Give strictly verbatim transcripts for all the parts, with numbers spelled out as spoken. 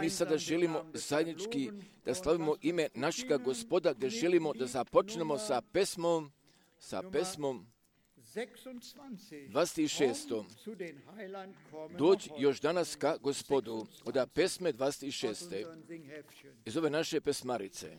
Mi sada želimo zajednički da slavimo ime našega Gospoda, gdje želimo da započnemo sa pesmom, sa pesmom dvadeset šest. Dođi još danas ka Gospodu, od pesme dvadeset šest. iz ove naše pesmarice.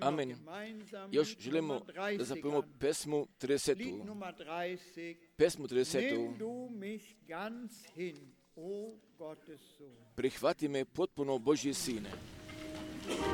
Amen. Još želimo da zapojemo pesmu trideset. Pesmu trideset. Prihvati me potpuno, Božji sine. Thank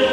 you.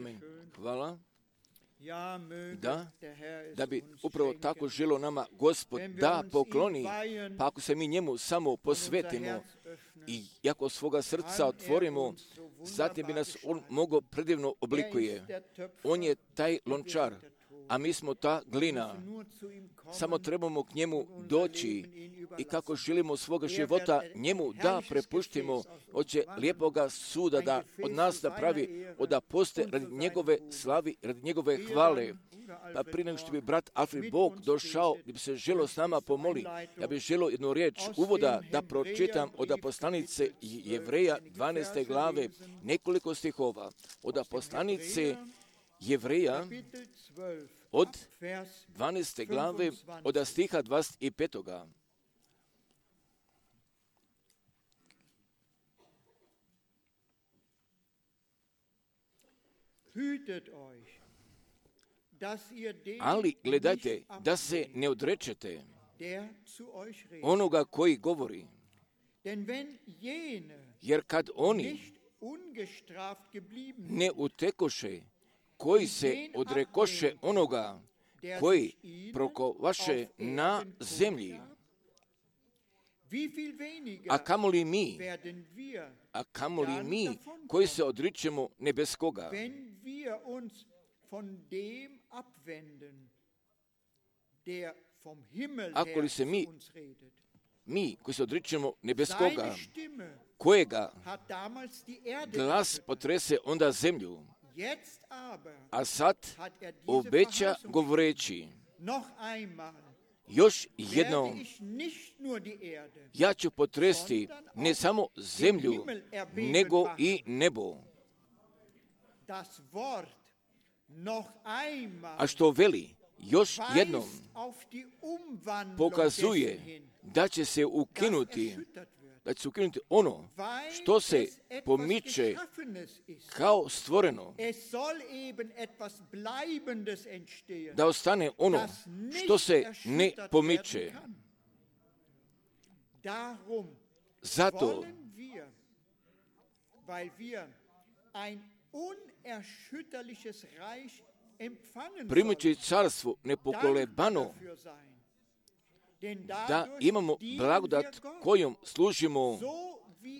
Amen. Hvala. Da, da bi upravo tako želio nama Gospod da pokloni, pa ako se mi njemu samo posvetimo i ako svoga srca otvorimo, zatim bi nas on mogao predivno oblikuje. On je taj lončar, a mi smo ta glina. Samo trebamo k njemu doći i kako želimo svoga života njemu da prepuštimo, hoće lijepoga suda da od nas da pravi, da poste radi njegove slavi, radi njegove hvale. Pa prije nego što bi brat Alfred Bog došao, gdje bi se želio s nama pomoli, ja bih želio jednu riječ uvoda da pročitam od poslanice Jevreja dvanaeste glave, nekoliko stihova. Od poslanice Jevreja od dvanaeste glave, od stiha dvadeset pet. Ali gledajte da se ne odrečete onoga koji govori, jer kad oni ne utekoše, koji se odrekoše onoga koji prokovaše na zemlji, a kamoli mi, a kamoli mi koji se odričemo nebeskoga. Ako li se mi, mi koji se odričemo nebeskoga, kojega glas potrese onda zemlju, a sad obeća govoreći, još jednom, ja ću potresti ne samo zemlju, nego i nebo. A što veli, još jednom pokazuje da će se ukinuti, da će se ukinuti ono što se pomiče kao stvoreno, da ostane ono što se ne pomiče. Zato primajući carstvo nepokolebano, da imamo blagodat kojom služimo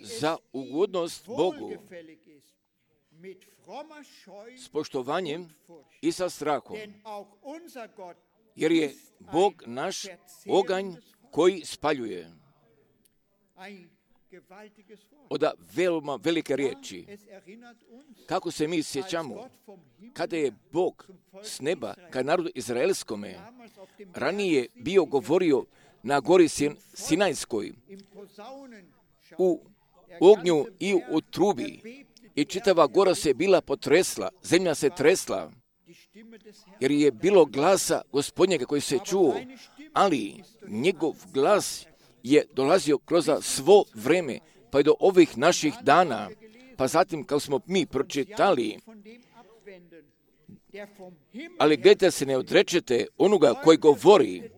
za ugodnost Bogu, s poštovanjem i sa strahom, jer je Bog naš oganj koji spaljuje. Oda veoma velike riječi. Kako se mi sjećamo, kada je Bog s neba ka narodu izraelskome ranije bio govorio na gori Sinajskoj, u ognju i u trubi, i čitava gora se bila potresla, zemlja se tresla, jer je bilo glasa Gospodnjega koji se čuo, ali njegov glas je dolazio kroz svo vreme, pa i do ovih naših dana. Pa zatim, kao smo mi pročitali, ali gledajte se ne odrečete onoga koji govori,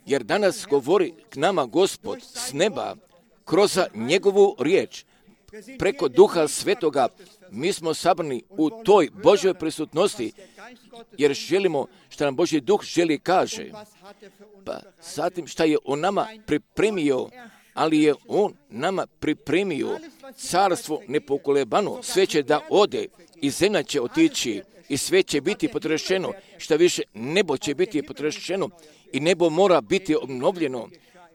jer danas govori k nama Gospod s neba, kroz njegovu riječ, preko Duha Svetoga. Mi smo sabrani u toj Božjoj prisutnosti, jer želimo što nam Božji Duh želi kaže. Pa zatim šta je on nama pripremio, ali je on nama pripremio carstvo nepokolebano, sve će da ode i zemlja će otići i sve će biti potrešeno, šta više nebo će biti potrešeno i nebo mora biti obnovljeno,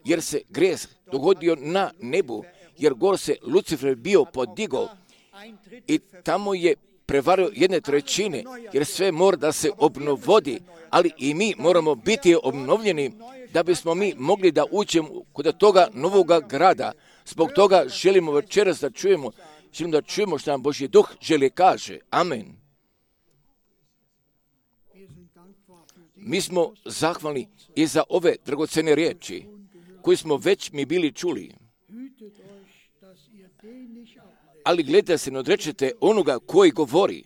jer se grijeh dogodio na nebu, jer gor se Lucifer bio podigao i tamo je prevario jedne trećine, jer sve mora da se obnovodi, ali i mi moramo biti obnovljeni da bismo mi mogli da uđemo kod toga novoga grada. Zbog toga želimo večeras da čujemo, želimo da čujemo što nam Božji Duh želi kaže. Amen. Mi smo zahvalni i za ove dragocene riječi koje smo već mi bili čuli. Ali gledajte se, ne odrečete onoga koji govori,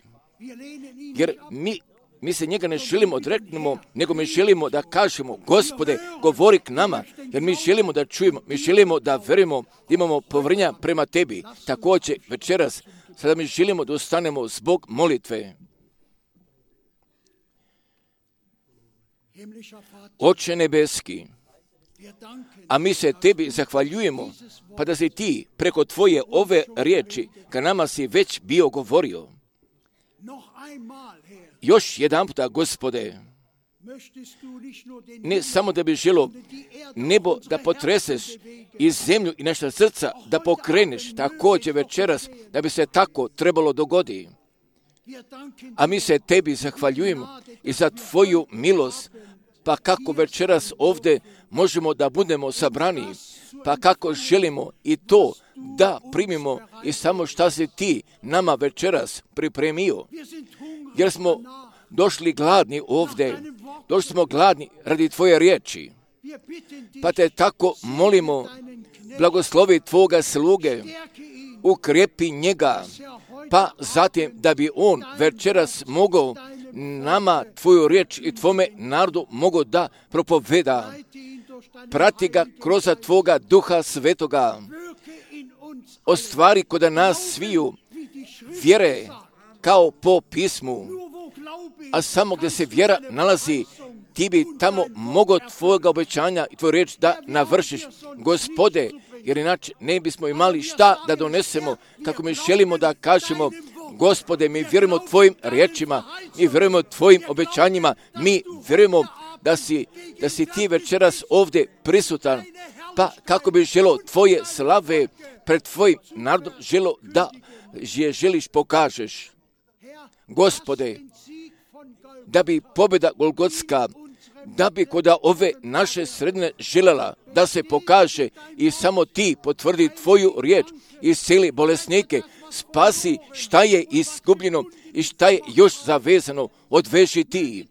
jer mi, mi se njega ne želimo odreknemo, nego mi želimo da kažemo, Gospode, govori k nama, jer mi želimo da čujemo, mi želimo da verujemo, da imamo povrnja prema tebi. Također večeras, sada mi želimo da ustanemo zbog molitve. Oče nebeski, a mi se tebi zahvaljujemo, pa da si ti preko tvoje ove riječi ka nama si već bio govorio. Još jedan puta, Gospode, ne samo da bi želo nebo da potreseš i zemlju i naša srca da pokreneš također večeras da bi se tako trebalo dogoditi. A mi se tebi zahvaljujemo i za tvoju milost, pa kako večeras ovdje možemo da budemo sabrani, pa kako želimo i to da primimo i samo šta si ti nama večeras pripremio. Jer smo došli gladni ovdje, došli smo gladni radi tvoje riječi. Pa te tako molimo, blagoslovi tvoga sluge, ukrepi njega, pa zatim da bi on večeras mogao nama tvoju riječ i tvome narodu mogao da propoveda. Prati ga kroz tvoga duha svetoga. Ostvari kod nas sviju vjere kao po pismu. A samo gdje se vjera nalazi, ti bi tamo mogao tvojega obećanja i tvoju riječ da navršiš. Gospode, jer inače ne bismo imali šta da donesemo kako mi želimo da kažemo. Gospode, mi vjerujemo tvojim riječima, mi vjerujemo tvojim obećanjima, mi vjerujemo da si, da si ti večeras ovdje prisutan, pa kako bi želo tvoje slave pred tvojim narodom želo da je želiš pokažeš. Gospode, da bi pobjeda Golgotska, da bi kod ove naše sredine željela da se pokaže i samo ti potvrdi tvoju riječ i isceli bolesnike, spasi šta je izgubljeno i šta je još zavezano, odveži ti.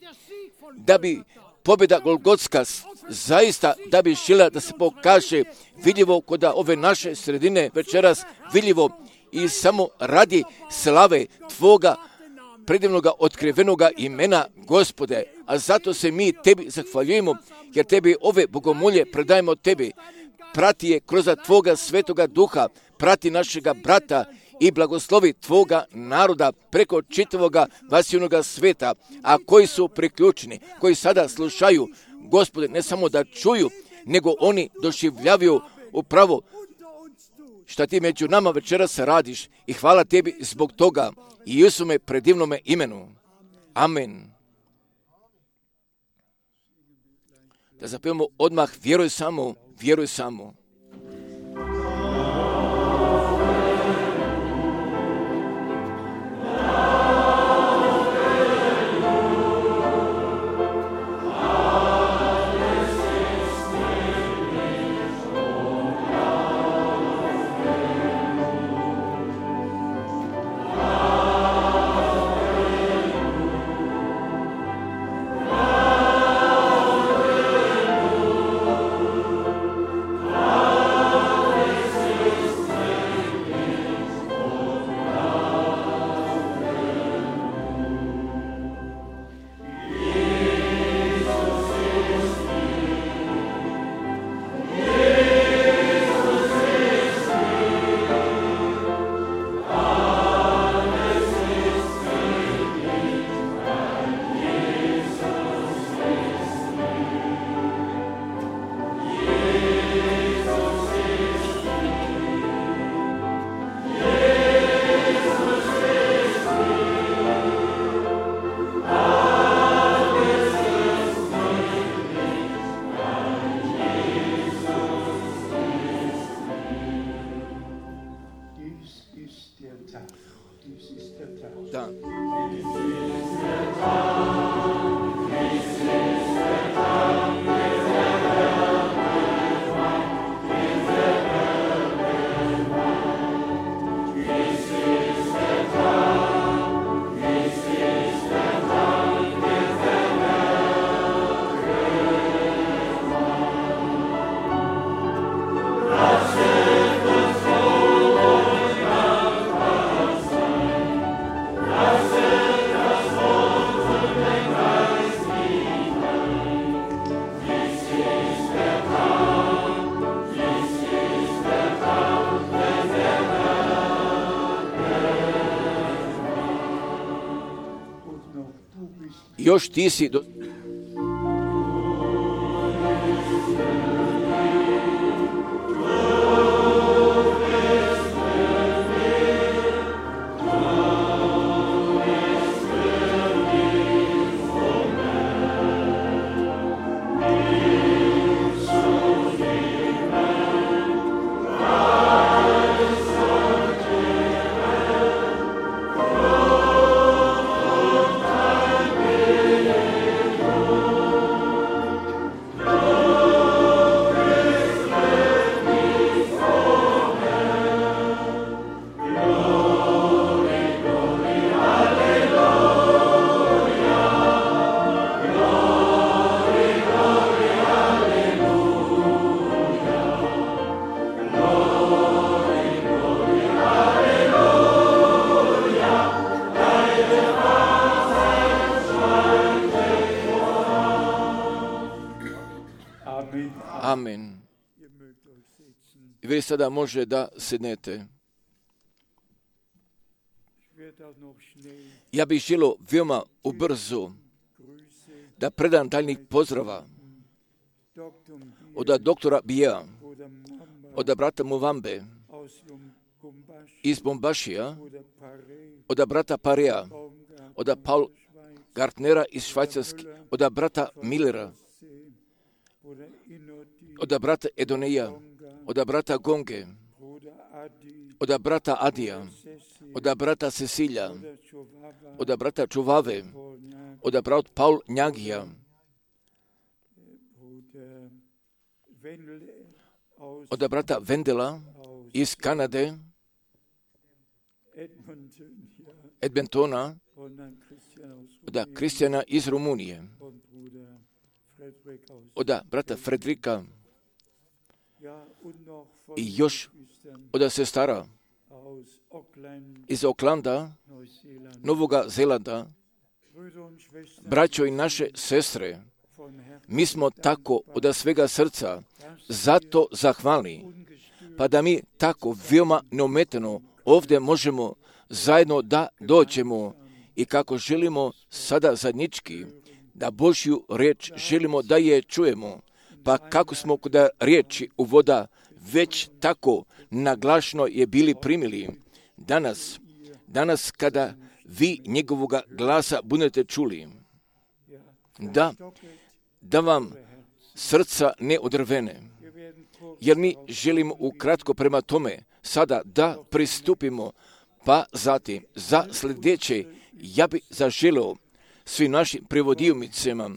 Da bi pobjeda Golgotska zaista, da bi željela da se pokaže vidljivo kod ove naše sredine večeras vidljivo i samo radi slave tvoga predivnoga otkrivenoga imena, Gospode, a zato se mi tebi zahvaljujemo, jer tebi ove bogomolje predajemo tebi. Prati je kroz tvoga svetoga duha, prati našega brata i blagoslovi tvoga naroda preko čitavoga vasivnoga sveta, a koji su priključeni, koji sada slušaju, Gospode, ne samo da čuju, nego oni doživljavaju upravo šta ti među nama večeras radiš i hvala tebi zbog toga i Isume predivnome imenu. Amen. Da zapevamo odmah, vjeruj samo, vjeruj samo. Da. Još ti si do... sada može da sednete. Ja bih želio veoma ubrzo da predam daljnjih pozdrava od doktora Bija, od brata Muvambe iz Bombašija, od brata Parea, od Paul Gartnera iz Švajcarske, od brata Millera, od brata Edoneja, od brata Gonge, od brata Adija, od brata Cecilja, od brata Čuvave, od brata Paul Njagija, od brata Vendela iz Kanade, Edmontona, od Kristijana iz Rumunije, od brata Fredrika i još od sestara iz Oklanda, Novoga Zelanda. Braćo i naše sestre, mi smo tako od svega srca zato zahvalni, pa da mi tako veoma neometano ovdje možemo zajedno da dođemo i kako želimo sada zajednički da Božju riječ želimo da je čujemo, pa kako smo kod riječi uvoda već tako naglašno je bili primili. Danas, danas kada vi njegovoga glasa budete čuli, da, da vam srca ne odrvene, jer mi želimo ukratko prema tome sada da pristupimo, pa zatim za sljedeće ja bih zaželio svim našim prevodionicama,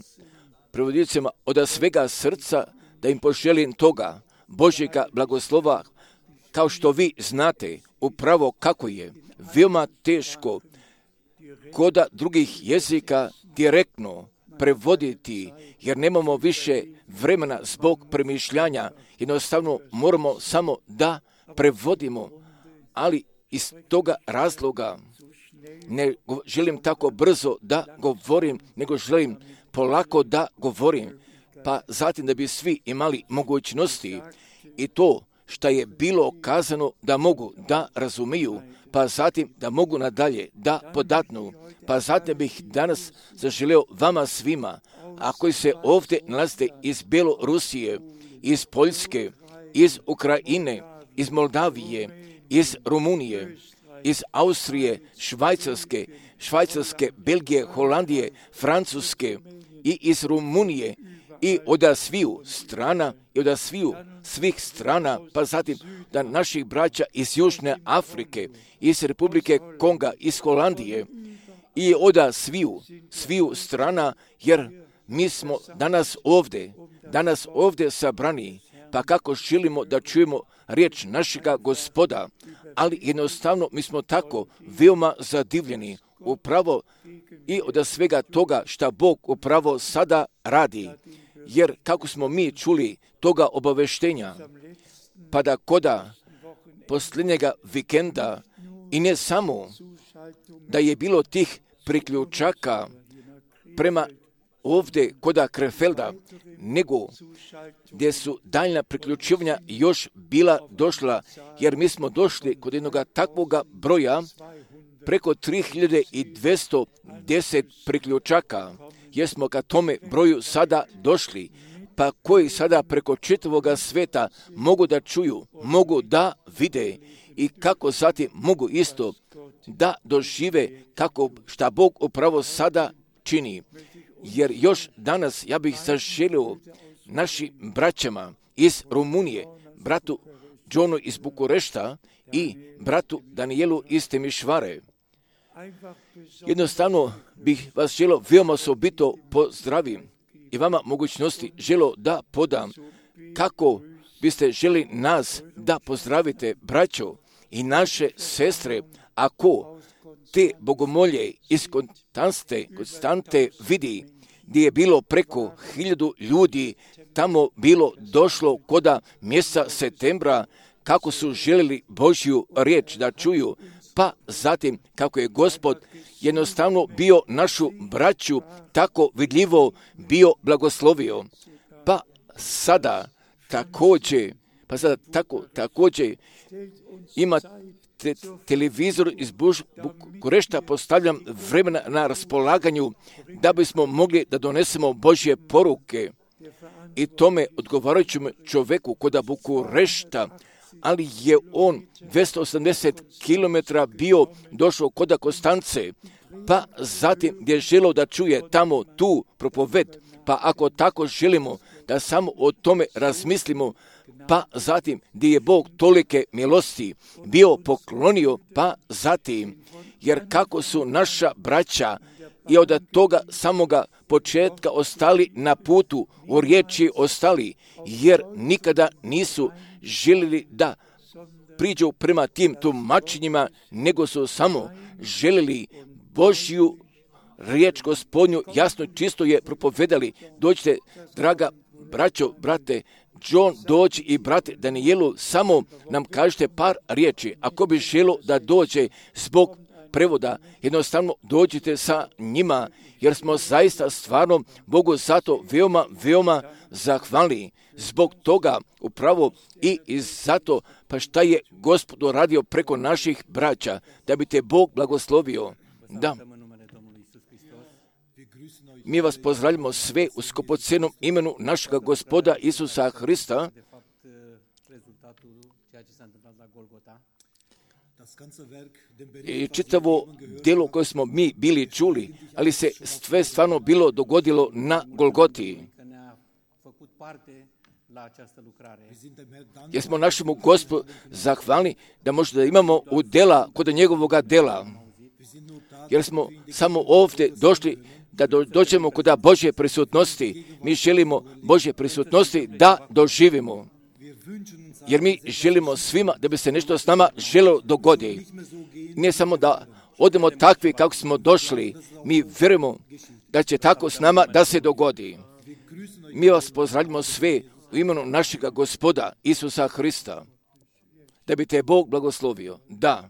prevodionicama od svega srca da im poželim toga Božjega blagoslova, kao što vi znate upravo kako je veoma teško kod drugih jezika direktno prevoditi, jer nemamo više vremena zbog premišljanja, jednostavno moramo samo da prevodimo, ali iz toga razloga ne želim tako brzo da govorim, nego želim polako da govorim, pa zatim da bi svi imali mogućnosti i to što je bilo kazano da mogu da razumiju, pa zatim da mogu nadalje da podatnu, pa zatim bih danas zaželio vama svima, a koji se ovdje nalazite iz Bjelorusije, iz Poljske, iz Ukrajine, iz Moldavije, iz Rumunije, iz Austrije, Švajcarske, Švajcarske, Belgije, Holandije, Francuske i iz Rumunije i od sviju strana i od sviju svih strana, pa zatim da naših braća iz Južne Afrike, iz Republike Konga, iz Holandije i od sviju, sviju strana, jer mi smo danas ovdje, danas ovdje sabrani, pa kako želimo da čujemo riječ našega Gospoda, ali jednostavno mi smo tako veoma zadivljeni upravo i od svega toga što Bog upravo sada radi, jer kako smo mi čuli toga obaveštenja, pa da koda posljednjega vikenda i ne samo da je bilo tih priključaka prema ovdje koda Krefelda, nego gdje su daljna priključivanja još bila došla, jer mi smo došli kod jednog takvoga broja preko tri hiljade dvjesto deset priključaka, jer smo ka tome broju sada došli, pa koji sada preko čitavoga sveta mogu da čuju, mogu da vide i kako zatim mogu isto da dožive kako šta Bog upravo sada čini. Jer još danas ja bih zaželio našim braćama iz Rumunije, bratu Johnu iz Bukurešta i bratu Danielu iz Temišvare. Jednostavno bih vas želio veoma osobito pozdravim i vama mogućnosti želio da podam kako biste želi nas da pozdravite, braćo i naše sestre, ako te bogomolje iz Konstante, Konstante vidi, gdje je bilo preko hiljadu ljudi, tamo bilo došlo koda mjeseca septembra, kako su željeli Božju riječ da čuju, pa zatim kako je Gospod jednostavno bio našu braću tako vidljivo bio blagoslovio. Pa sada također, Pa sada tako, također ima te, televizor iz Bukurešta, postavljam vremena na raspolaganju da bismo mogli da donesemo Božje poruke i tome odgovarajućem čovjeku kod Bukurešta, ali je on dvjesto osamdeset kilometara bio došao kod Konstance, pa zatim gdje je želio da čuje tamo tu propoved, pa ako tako želimo da samo o tome razmislimo, pa zatim gdje je Bog tolike milosti bio poklonio, pa zatim, jer kako su naša braća i od toga samoga početka ostali na putu, u riječi ostali, jer nikada nisu željeli da priđu prema tim tumačenjima, nego su samo željeli Božju riječ Gospodnju, jasno čisto je propovedali. Dođite, draga braćo, brate, John, dođi i brate Danielu, samo nam kažete par riječi. Ako bi želo da dođe zbog prevoda, jednostavno dođite sa njima, jer smo zaista stvarno Bogu zato veoma, veoma zahvalni. Zbog toga upravo i, i zato, pa šta je Gospod radio preko naših braća, da bi te Bog blagoslovio. Da. Mi vas pozdravljamo sve u skupocenom imenu našega Gospoda Isusa Hrista. I čitavo djelo koje smo mi bili čuli, ali se sve stvarno bilo dogodilo na Golgoti. Jer smo našemu Gospodu zahvalni da možda da imamo u dela kod njegovoga dela. Jer smo samo ovdje došli da do, dođemo kod Božje prisutnosti. Mi želimo Božje prisutnosti da doživimo. Jer mi želimo svima da bi se nešto s nama želo dogodi. Ne samo da odemo takvi kako smo došli, mi vjerujemo da će tako s nama da se dogodi. Mi vas pozdravljamo sve u imenu našega Gospoda Isusa Hrista. Da bi te Bog blagoslovio. Da.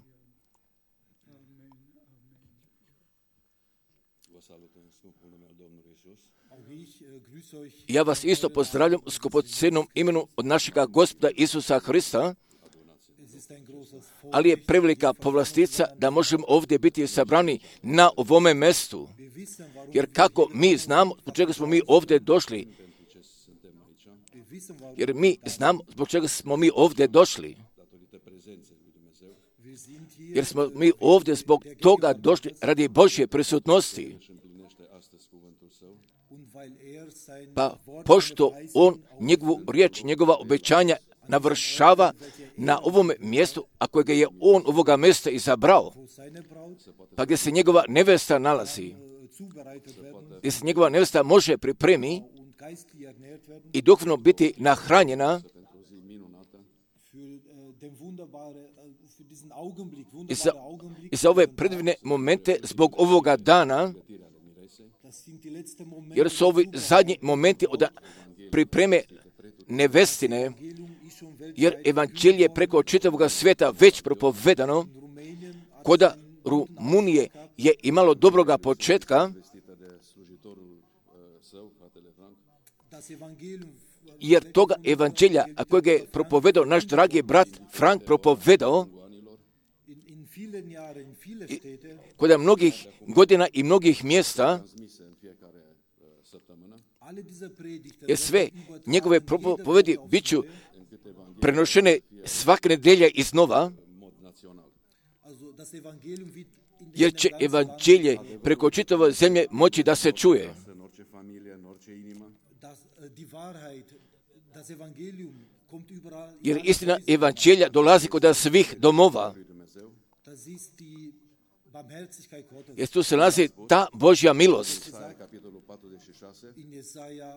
Ja vas isto pozdravljam u skupocenom imenu od našega Gospoda Isusa Hrista, ali je prevelika povlastica da možemo ovdje biti sabrani na ovome mjestu. Jer kako mi znamo zbog čega smo mi ovdje došli, jer mi znamo zbog čega smo mi ovdje došli, jer smo mi ovdje zbog toga došli radi Božje prisutnosti. Pa pošto on njegovu riječ, njegova obećanja navršava na ovom mjestu, a kojega je on ovoga mjesta izabrao, pa gdje se njegova nevesta nalazi, gdje se njegova nevesta može pripremi i duhovno biti nahranjena i za, i za ove predivne momente zbog ovoga dana, jer su ovi zadnji momenti od pripreme nevestine, jer evanđelje preko čitavog svijeta već propovedano, koda Rumunije je imalo dobroga početka, jer toga evanđelja, a kojeg je propovedao naš dragi brat Frank propovedao, kod mnogih godina i mnogih mjesta, jer sve njegove propovedi bit ću prenošene svake nedelje iznova, jer će evanđelje preko čitave zemlje moći da se čuje. Jer istina evanđelja dolazi kod svih domova. Jer tu se nalazi ta Božja milost.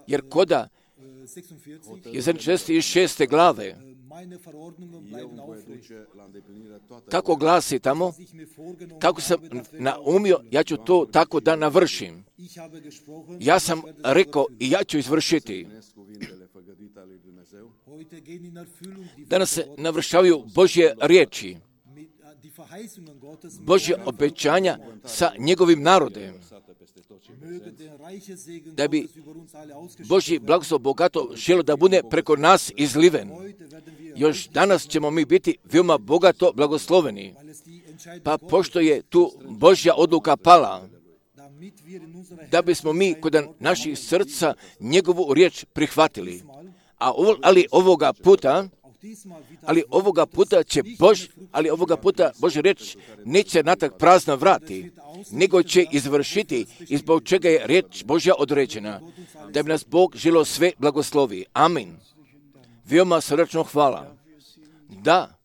Jer koda je šezdeset šeste glave, kako glasi tamo, kako sam naumio, ja ću to tako da navršim. Ja sam rekao i ja ću izvršiti. Danas se navršavaju Božje riječi. Božje obećanja sa njegovim narodem, da bi Božji blagoslov bogato želio da bude preko nas izliven. Još danas ćemo mi biti veoma bogato blagosloveni, pa pošto je tu Božja odluka pala, da bismo mi kod naših srca njegovu riječ prihvatili. A ovo, ali ovoga puta, ali ovoga puta će Bož, ali ovoga puta Božja riječ neće natrag prazna vrati, nego će izvršiti i zbog čega je riječ Božja određena, da bi nas Bog želio sve blagoslovi. Amin. Veoma srdačno hvala. Da,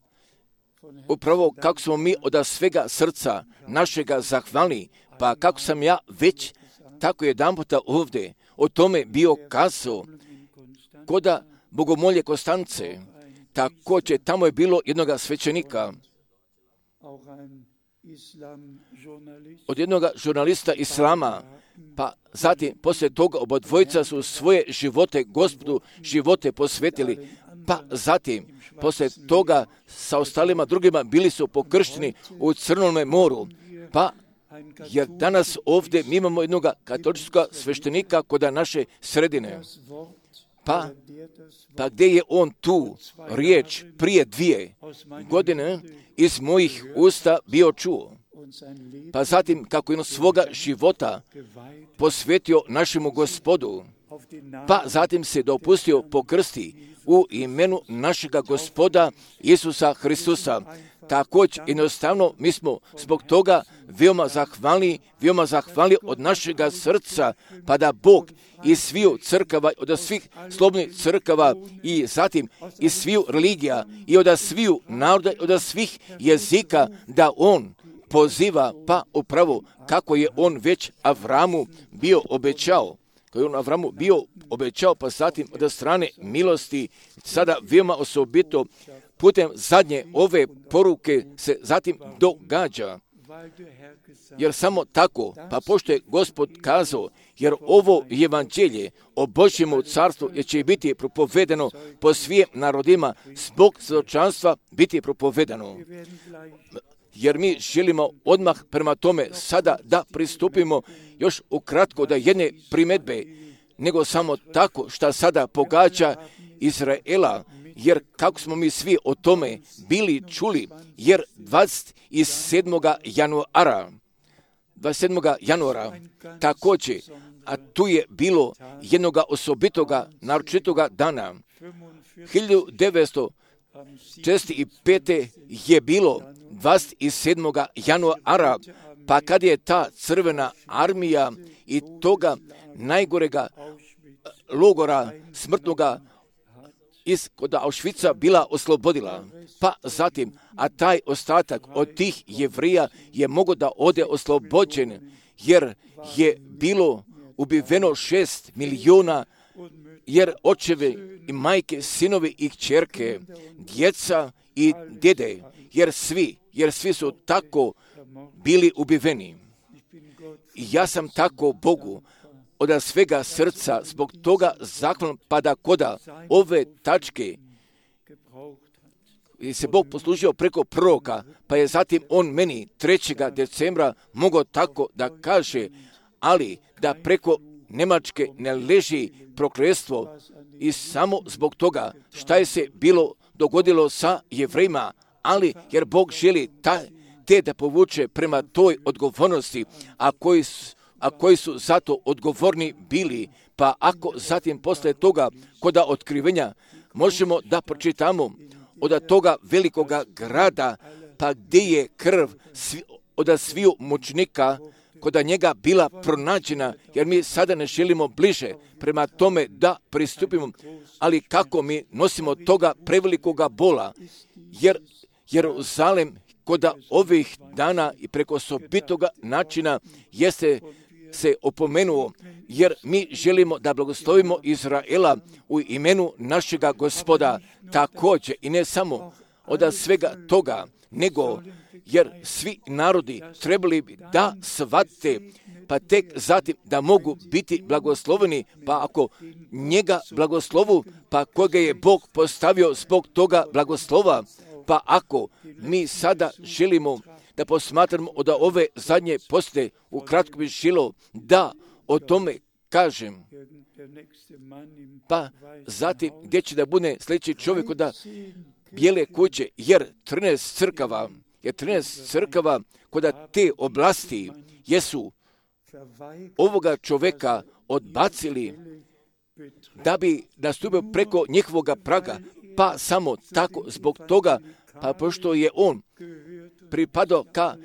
upravo kako smo mi od svega srca našega zahvalni, pa kako sam ja već tako jedan puta ovdje o tome bio kazao, koda Bogomolje Konstance, također tamo je bilo jednoga svećenika, od jednog žurnalista islama, pa zatim poslije toga obodvojica su svoje živote Gospodu živote posvetili, pa zatim poslije toga sa ostalima drugima bili su pokršteni u Crnome moru, pa jer danas ovdje mi imamo jednog katoličkog sveštenika kod naše sredine. Pa, pa gdje je on tu riječ prije dvije godine iz mojih usta bio čuo. Pa zatim kako je on svoga života posvetio našemu Gospodu, pa zatim se dopustio pokrsti u imenu našega Gospoda Isusa Hristusa. Također, jednostavno, mi smo zbog toga veoma zahvalni, veoma zahvalni od našega srca, pa da Bog iz sviju crkava, od svih slobodnih crkava i zatim iz sviju religija i od sviju naroda, od svih jezika, da On poziva, pa upravo kako je On već Avramu bio obećao. Koji je on Avramu bio obećao, pa zatim od strane milosti, sada veoma osobito putem zadnje ove poruke se zatim događa. Jer samo tako, pa pošto je Gospod kazao, jer ovo evanđelje o Božjemu carstvu je će biti propovedeno po svim narodima, zbog svjedočanstva biti propovedano. Jer mi želimo odmah prema tome sada da pristupimo još ukratko da jedne primjedbe, nego samo tako što sada pogađa Izraela, jer kako smo mi svi o tome bili čuli, jer dvadeset sedmog januara, dvadeset sedmog januara također, a tu je bilo jednog osobitoga, naročitoga dana, hiljadu devetsto četrdeset pete. je bilo dvadeset sedmog januara, pa kad je ta crvena armija i toga najgorega logora smrtnoga iz kod Auschwitza bila oslobodila. Pa zatim, a taj ostatak od tih Jevrija je mogao da ode oslobođen, jer je bilo ubiveno šest milijuna, jer očevi i majke, sinovi i kćerke, djeca i djede, jer svi, jer svi su tako bili ubiveni. I ja sam tako Bogu od svega srca zbog toga zahvalan, pa da koda ove tačke se Bog poslužio preko proroka, pa je zatim on meni trećeg decembra mogao tako da kaže, ali da preko Njemačke ne leži prokletstvo i samo zbog toga šta je se bilo dogodilo sa Jevrejima, ali jer Bog želi taj, te da povuče prema toj odgovornosti, a koji su a koji su zato odgovorni bili, pa ako zatim posle toga koda otkrivenja možemo da pročitamo od toga velikoga grada, pa gdje je krv svi, od sviju mučnika koda njega bila pronađena, jer mi sada ne želimo bliže prema tome da pristupimo, ali kako mi nosimo toga prevelikoga bola, jer Jeruzalem koda ovih dana i preko osobitoga načina jeste se opomenuo, jer mi želimo da blagoslovimo Izraela u imenu našega Gospoda, također i ne samo od svega toga, nego jer svi narodi trebali bi da shvate, pa tek zatim da mogu biti blagosloveni, pa ako njega blagoslovu, pa koga je Bog postavio zbog toga blagoslova, Pa ako mi sada želimo da posmatramo od ove zadnje poste, ukratko bi želio da o tome kažem. Pa zatim gdje će da bude sljedeći čovjek od bijele kuće, jer trinaest crkava, jer trinaest crkava kod te oblasti jesu ovoga čovjeka odbacili da bi nastupio preko njihovoga praga, pa samo tako zbog toga, pa pošto je on pripadao ka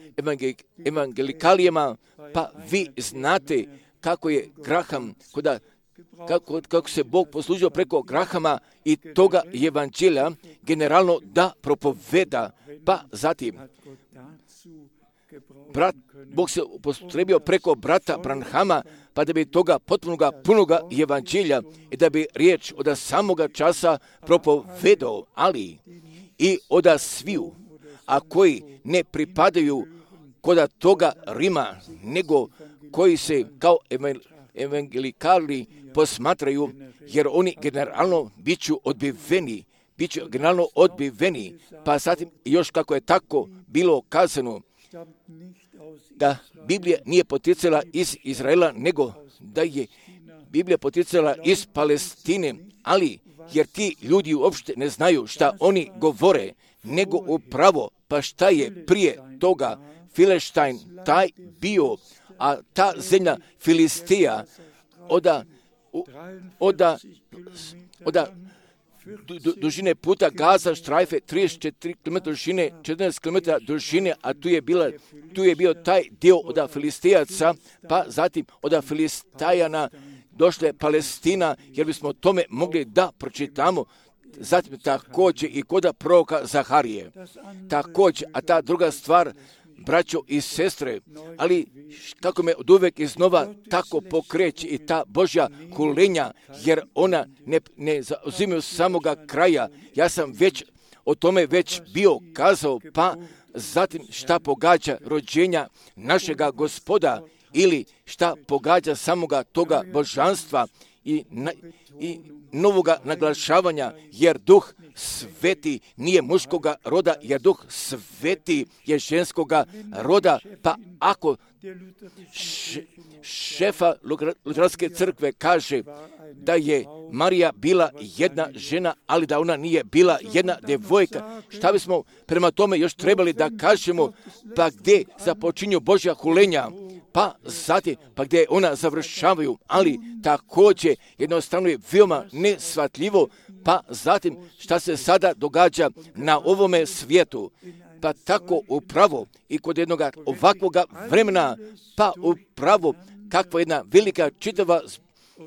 evangelikalijama, pa vi znate kako je Graham, koda, kako, kako se Bog poslužio preko Grahama i toga evanđelja generalno da propoveda, pa zatim brat, Bog se upotrebio preko brata Branhama, pa da bi toga potpunoga, punoga evanđelja i da bi riječ od samoga časa propovedao, ali i od sviju, a koji ne pripadaju kod toga Rima, nego koji se kao evangelikali posmatraju, jer oni generalno biću odbiveni, biću generalno odbiveni, pa zatim još kako je tako bilo kazano, da Biblija nije poticala iz Izraela, nego da je Biblija poticala iz Palestine, ali jer ti ljudi uopšte ne znaju šta oni govore, nego upravo, pa šta je prije toga Fileštajn taj bio, a ta zemlja Filistija oda, oda, oda du, dužine puta Gaza štrajfe trideset četiri kilometra dužine, četrnaest kilometara dužine, a tu je, bila, tu je bio taj dio od Filistijaca, pa zatim od Filistajana došla je Palestina, jer bismo tome mogli da pročitamo, zatim također i kod proroka Zaharije. Također, a ta druga stvar, braćo i sestre, ali kako me od uvek iznova tako pokreće i ta Božja hulenja, jer ona ne, ne zauzimaju samoga kraja. Ja sam već o tome već bio kazao, pa zatim šta pogađa rođenja našega Gospoda ili šta pogađa samoga toga božanstva i, na, i novoga naglašavanja, jer duh sveti nije muškoga roda, jer duh sveti je ženskoga roda, pa ako š, šefa Luteranske crkve kaže da je Marija bila jedna žena, ali da ona nije bila jedna devojka, šta bismo prema tome još trebali da kažemo, pa gdje započinju Božja hulenja, pa zatim, pa gdje ona završavaju, ali također jednostavno je veoma nesvatljivo, pa zatim šta se sada događa na ovome svijetu, pa tako upravo i kod jednog ovakvoga vremena, pa upravo kakva jedna velika čitava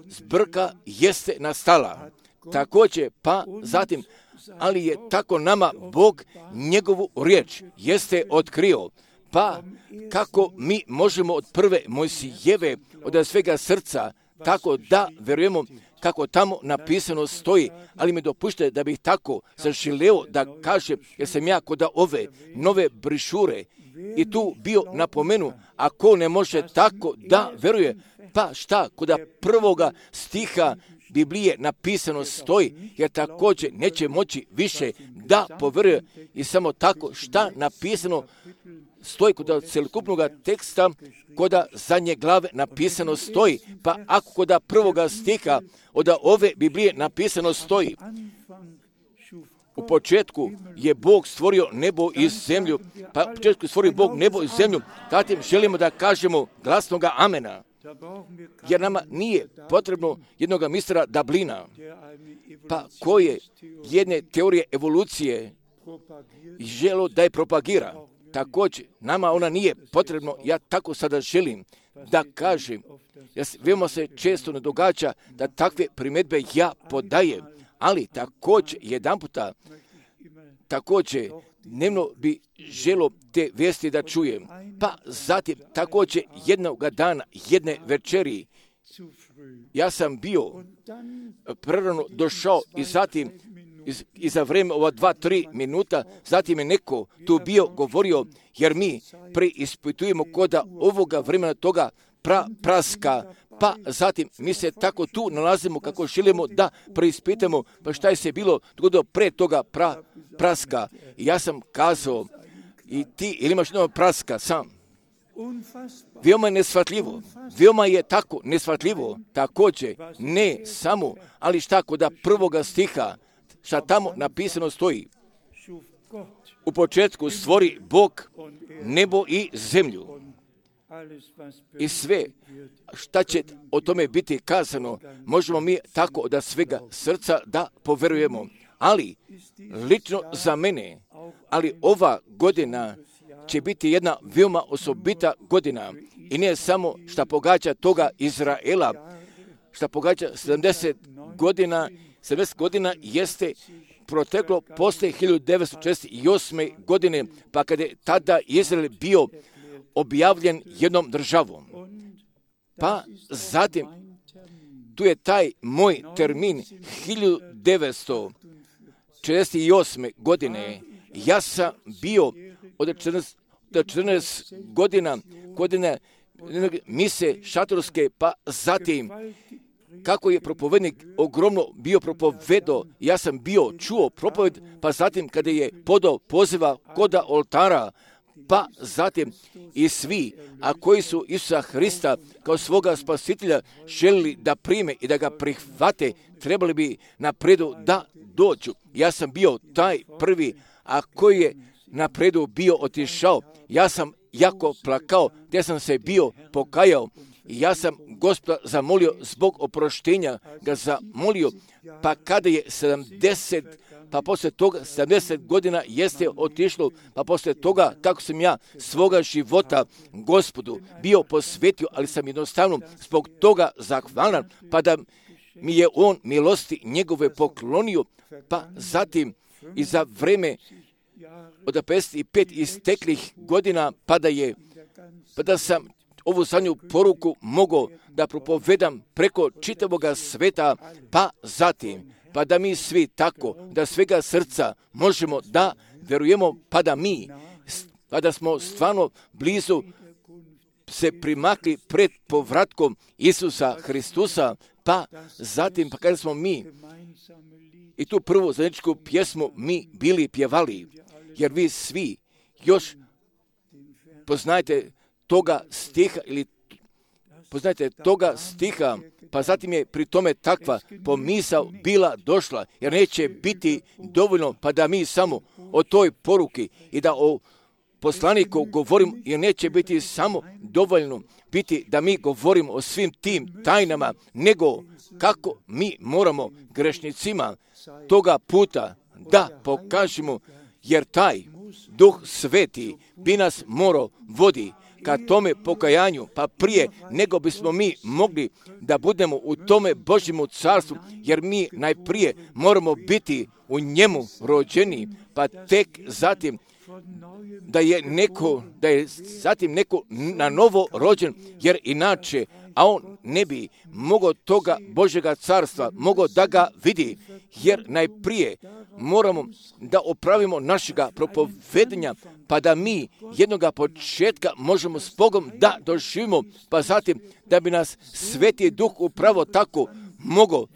zbrka jeste nastala. Također, pa zatim, ali je tako nama Bog njegovu riječ jeste otkrio. Pa kako mi možemo od prve Mojsijeve, od svega srca, tako da verujemo kako tamo napisano stoji, ali mi dopušte da bih tako zaželeo da kažem, jer sam ja kod ove nove brišure i tu bio napomenu, ako ne može tako da veruje, pa šta kod prvoga stiha Biblije napisano stoji, jer također neće moći više da poveruje i samo tako šta napisano stoji kod celokupnog teksta, kod zadnje glave napisano stoji, pa ako kod prvoga stiha od ove Biblije napisano stoji, u početku je Bog stvorio nebo i zemlju, pa u početku je stvorio Bog nebo i zemlju, zatim želimo da kažemo glasnoga amena, jer nama nije potrebno jednog mistera Dublina, pa koje jedne teorije evolucije želo da je propagira. Također, nama ona nije potrebno, ja tako sada želim da kažem, jer veoma se često ne događa da takve primjedbe ja podajem, ali također jedan puta, također dnevno bi želo te vijesti da čujem, pa zatim također jednog dana, jedne večeri, ja sam bio prerano došao i zatim i za vreme ova dva, tri minuta, zatim je neko tu bio govorio, jer mi preispitujemo koda ovoga vremena toga pra, praska, pa zatim mi se tako tu nalazimo kako želimo da preispitamo, pa šta je se bilo dogodilo pre toga pra, praska. I ja sam kazao, i ti ili imaš jedno praska sam. Veoma je nesvatljivo, veoma je tako nesvatljivo, također, ne samo, ali šta kod prvoga stiha, šta tamo napisano stoji. U početku stvori Bog nebo i zemlju. I sve šta će o tome biti kazano, možemo mi tako od svega srca da poverujemo. Ali, lično za mene, ali ova godina će biti jedna veoma osobita godina. I ne samo šta pogađa toga Izraela, šta pogađa sedamdeset godina, sedamdeset godina jeste proteklo posle hiljadu devetsto četrdeset osme. godine, pa kada je tada Izrael bio objavljen jednom državom. Pa zatim, tu je taj moj termin hiljadu devetsto četrdeset osme. godine. Ja sam bio od četrnaest, četrnaest godina, godine mise šatorske, pa zatim kako je propovednik ogromno bio propovedo, ja sam bio čuo propoved, pa zatim kada je podao poziva koda oltara, pa zatim i svi, a koji su Isusa Hrista kao svoga spasitelja želili da prime i da ga prihvate, trebali bi napredu da dođu. Ja sam bio taj prvi, a koji je napredu bio otišao. Ja sam jako plakao, te sam se bio pokajao. I ja sam Gospoda zamolio zbog oproštenja, ga zamolio, pa kada je sedamdeset, pa poslije toga sedamdeset godina jeste otišlo, pa poslije toga kako sam ja svoga života Gospodu bio posvetio, ali sam jednostavno zbog toga zahvalan, pa da mi je on milosti njegove poklonio, pa zatim i za vreme od pedeset pet isteklih godina, pa da je, pa da sam ovu zadnju poruku mogao da propovedam preko čitavoga sveta, pa zatim, pa da mi svi tako, da svega srca možemo da verujemo, pa da mi, pa da smo stvarno blizu se primakli pred povratkom Isusa Hristusa, pa zatim, pa kada smo mi i tu prvu zajedničku pjesmu mi bili pjevali, jer vi svi još poznajete toga stiha ili poznajte toga stiha, pa zatim je pri tome takva pomisao bila došla, jer neće biti dovoljno pa da mi samo o toj poruki i da o poslaniku govorim, jer neće biti samo dovoljno biti da mi govorimo o svim tim tajnama, nego kako mi moramo grešnicima toga puta da pokažemo, jer taj Duh Sveti bi nas morao vodi ka tome pokajanju, pa prije nego bismo mi mogli da budemo u tome Božjemu carstvu, jer mi najprije moramo biti u njemu rođeni, pa tek zatim da je neko, da je zatim neko na novo rođen, jer inače, a on ne bi mogao toga Božjega carstva, mogao da ga vidi, jer najprije moramo da opravimo našega propovedenja, pa da mi jednoga početka možemo s Bogom da doživimo, pa zatim da bi nas Sveti Duh upravo tako mogao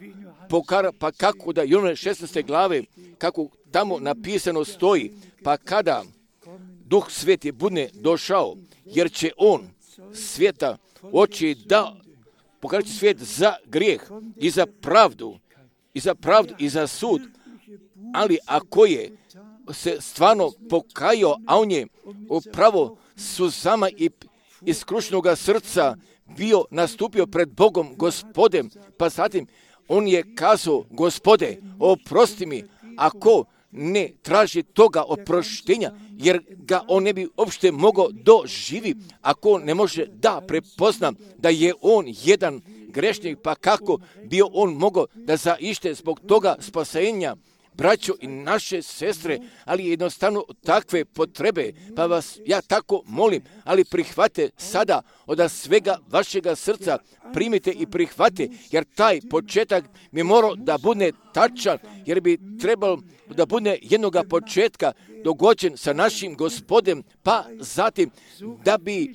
pokara, pa kako da Jovana šesnaeste glave, kako tamo napisano stoji, pa kada Duh Sveti bude došao, jer će on svijeta oči da pokaže svijet za grijeh i za pravdu, i za pravdu i za sud, ali ako je se stvarno pokajao, a on je upravo suzama i iskrušenoga srca bio nastupio pred Bogom Gospodem, pa zatim on je kazao, Gospode, oprosti mi, ako ne traži toga oproštenja, jer ga on ne bi uopšte mogao doživi, ako on ne može da prepozna da je on jedan grešnik, pa kako bi on mogao da zaište zbog toga spasenja, braćo i naše sestre, ali jednostavno takve potrebe, pa vas ja tako molim, ali prihvate sada od svega vašega srca, primite i prihvate, jer taj početak bi morao da bude tačan, jer bi trebalo da bude jednoga početka dogođen sa našim Gospodem, pa zatim da bi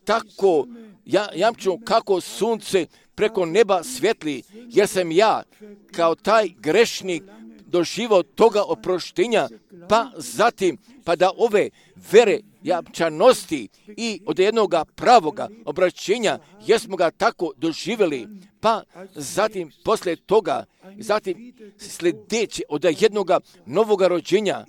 tako ja, jamčimo kako sunce preko neba svjetli, jer sam ja kao taj grešnik doživao toga oproštenja, pa zatim, pa da ove vere jačanosti i od jednoga pravoga obraćenja, jesmo ga tako doživjeli, pa zatim poslije toga, zatim sljedeće od jednoga novoga rođenja,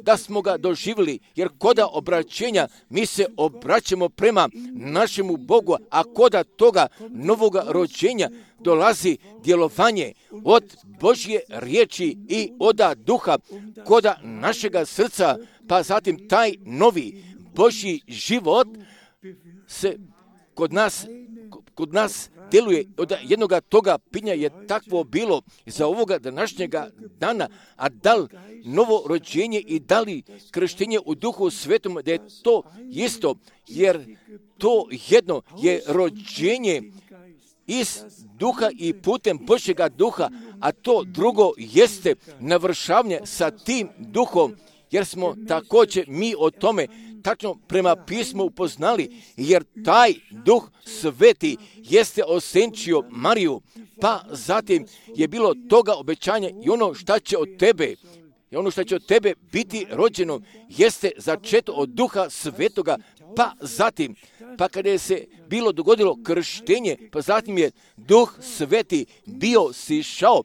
da smo ga doživjeli, jer koda obraćenja mi se obraćamo prema našemu Bogu, a koda toga novoga rođenja dolazi djelovanje od Božje riječi i oda duha koda našega srca, pa zatim taj novi Božji život se kod nas, kod nas djeluje. Od jednoga toga pitanja je takvo bilo za ovoga današnjega dana, a da li novo rođenje i da li krštenje u Duhu Svetom, da je to isto, jer to jedno je rođenje iz duha i putem Božjega duha, a to drugo jeste navršavanje sa tim duhom, jer smo također mi o tome tačno prema pismu upoznali, jer taj duh sveti jeste osenčio Mariju, pa zatim je bilo toga obećanja i ono šta će od tebe, i ono što će od tebe biti rođeno jeste začeto od duha svetoga, pa zatim, pa kada je se bilo dogodilo krštenje, pa zatim je duh sveti bio sišao,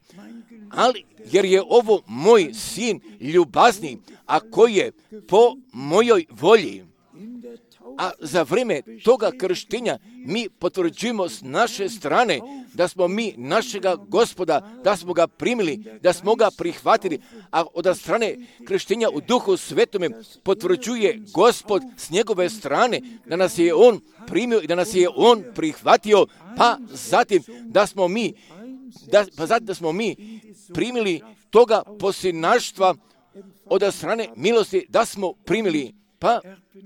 ali jer je ovo moj sin ljubazni, a koji je po mojoj volji. A za vrijeme toga krštenja mi potvrđujemo s naše strane da smo mi našega Gospoda, da smo ga primili, da smo ga prihvatili, a od strane krštenja u Duhu Svetome potvrđuje Gospod s njegove strane da nas je on primio i da nas je on prihvatio, pa zatim da smo mi, da, pa zatim da smo mi primili toga posljednaštva od strane milosti, da smo primili, pa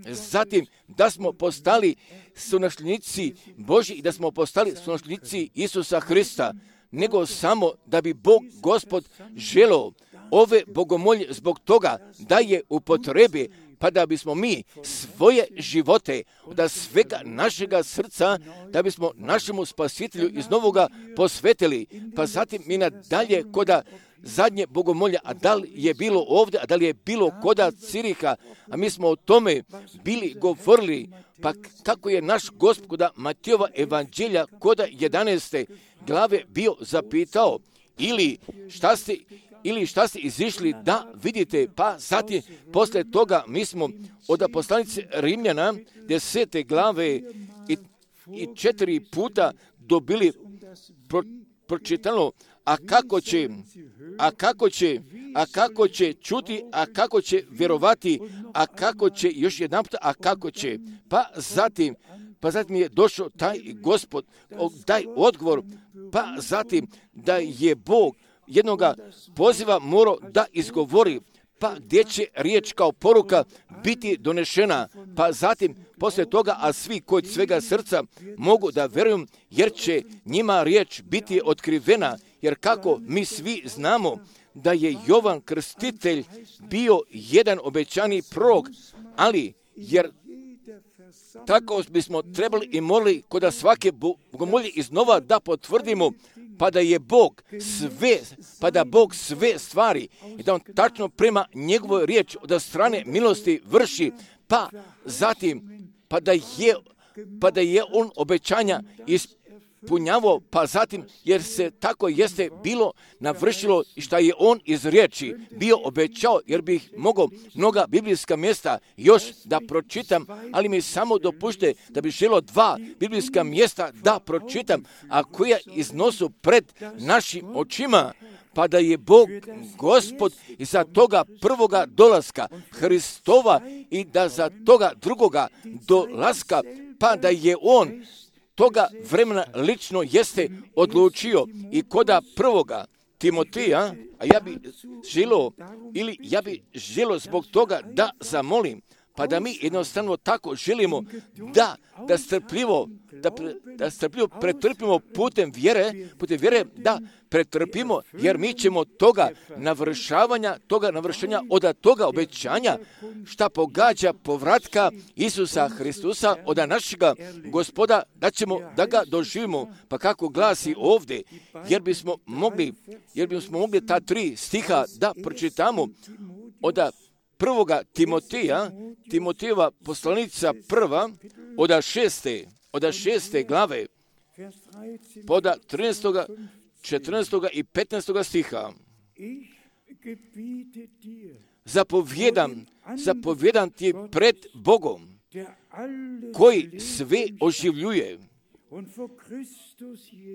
zatim da smo postali sunasljednici Božji i da smo postali sunasljednici Isusa Hrista, nego samo da bi Bog Gospod želeo ove bogomolje zbog toga da je upotrebi, pa da bismo mi svoje živote od svega našega srca, da bismo našemu spasitelju iz novoga posvetili, pa zatim mi nadalje koda zadnje bogomolja, a da li je bilo ovdje, a da li je bilo koda Ciriha, a mi smo o tome bili govorili, pa kako je naš Gospod koda Matijova evanđelja koda jedanaeste glave bio zapitao, ili šta ste ili šta ste izišli da vidite, pa zatim poslije toga mi smo od poslanice Rimljana desete glave i, i četiri puta dobili pro, pročitano, a kako će, a kako će, a kako će čuti, a kako će vjerovati, a kako će, još jedan puta, a kako će, pa zatim, pa zatim je došao taj Gospod, taj odgovor, pa zatim da je Bog jednoga poziva morao da izgovori, pa gdje će riječ kao poruka biti donešena, pa zatim poslije toga, a svi kod svega srca mogu da vjeruju, jer će njima riječ biti otkrivena, jer kako mi svi znamo da je Jovan Krstitelj bio jedan obećani prorok, ali jer tako bismo trebali i morali kod svake bogomolje iznova da potvrdimo, pa da je Bog sve, pa da Bog sve stvari i da on tačno prema njegovoj riječi od strane milosti vrši, pa zatim, pa da je, pa da je on obećanja ispunjavao, pa zatim, jer se tako jeste bilo navršilo i šta je on iz riječi bio obećao, jer bih mogao mnoga biblijska mjesta još da pročitam, ali mi samo dopušte da bi želio dva biblijska mjesta da pročitam, a koja iznosu pred našim očima, pa da je Bog Gospod iza toga prvoga dolaska Hristova i da za toga drugoga dolaska, pa da je on toga vremena lično jeste odlučio i koda prvoga Timotija, a ja bi želio, ili ja bi želio zbog toga da zamolim, pa da mi jednostavno tako želimo da, da strpljivo da, pre, da strpljivo pretrpimo putem vjere, putem vjere da pretrpimo, jer mi ćemo toga navršavanja, toga navršenja od toga obećanja šta pogađa povratka Isusa Hristusa od našega Gospoda, da ćemo da ga doživimo. Pa kako glasi ovdje, jer bismo mogli, jer bismo mogli ta tri stiha da pročitamo od prvoga Timoteja, Timotejeva poslanica prva, od šeste, od šeste glave, pod trinaestog, četrnaestog i petnaestog stiha. Zapovjedam, zapovjedam ti pred Bogom, koji sve oživljuje,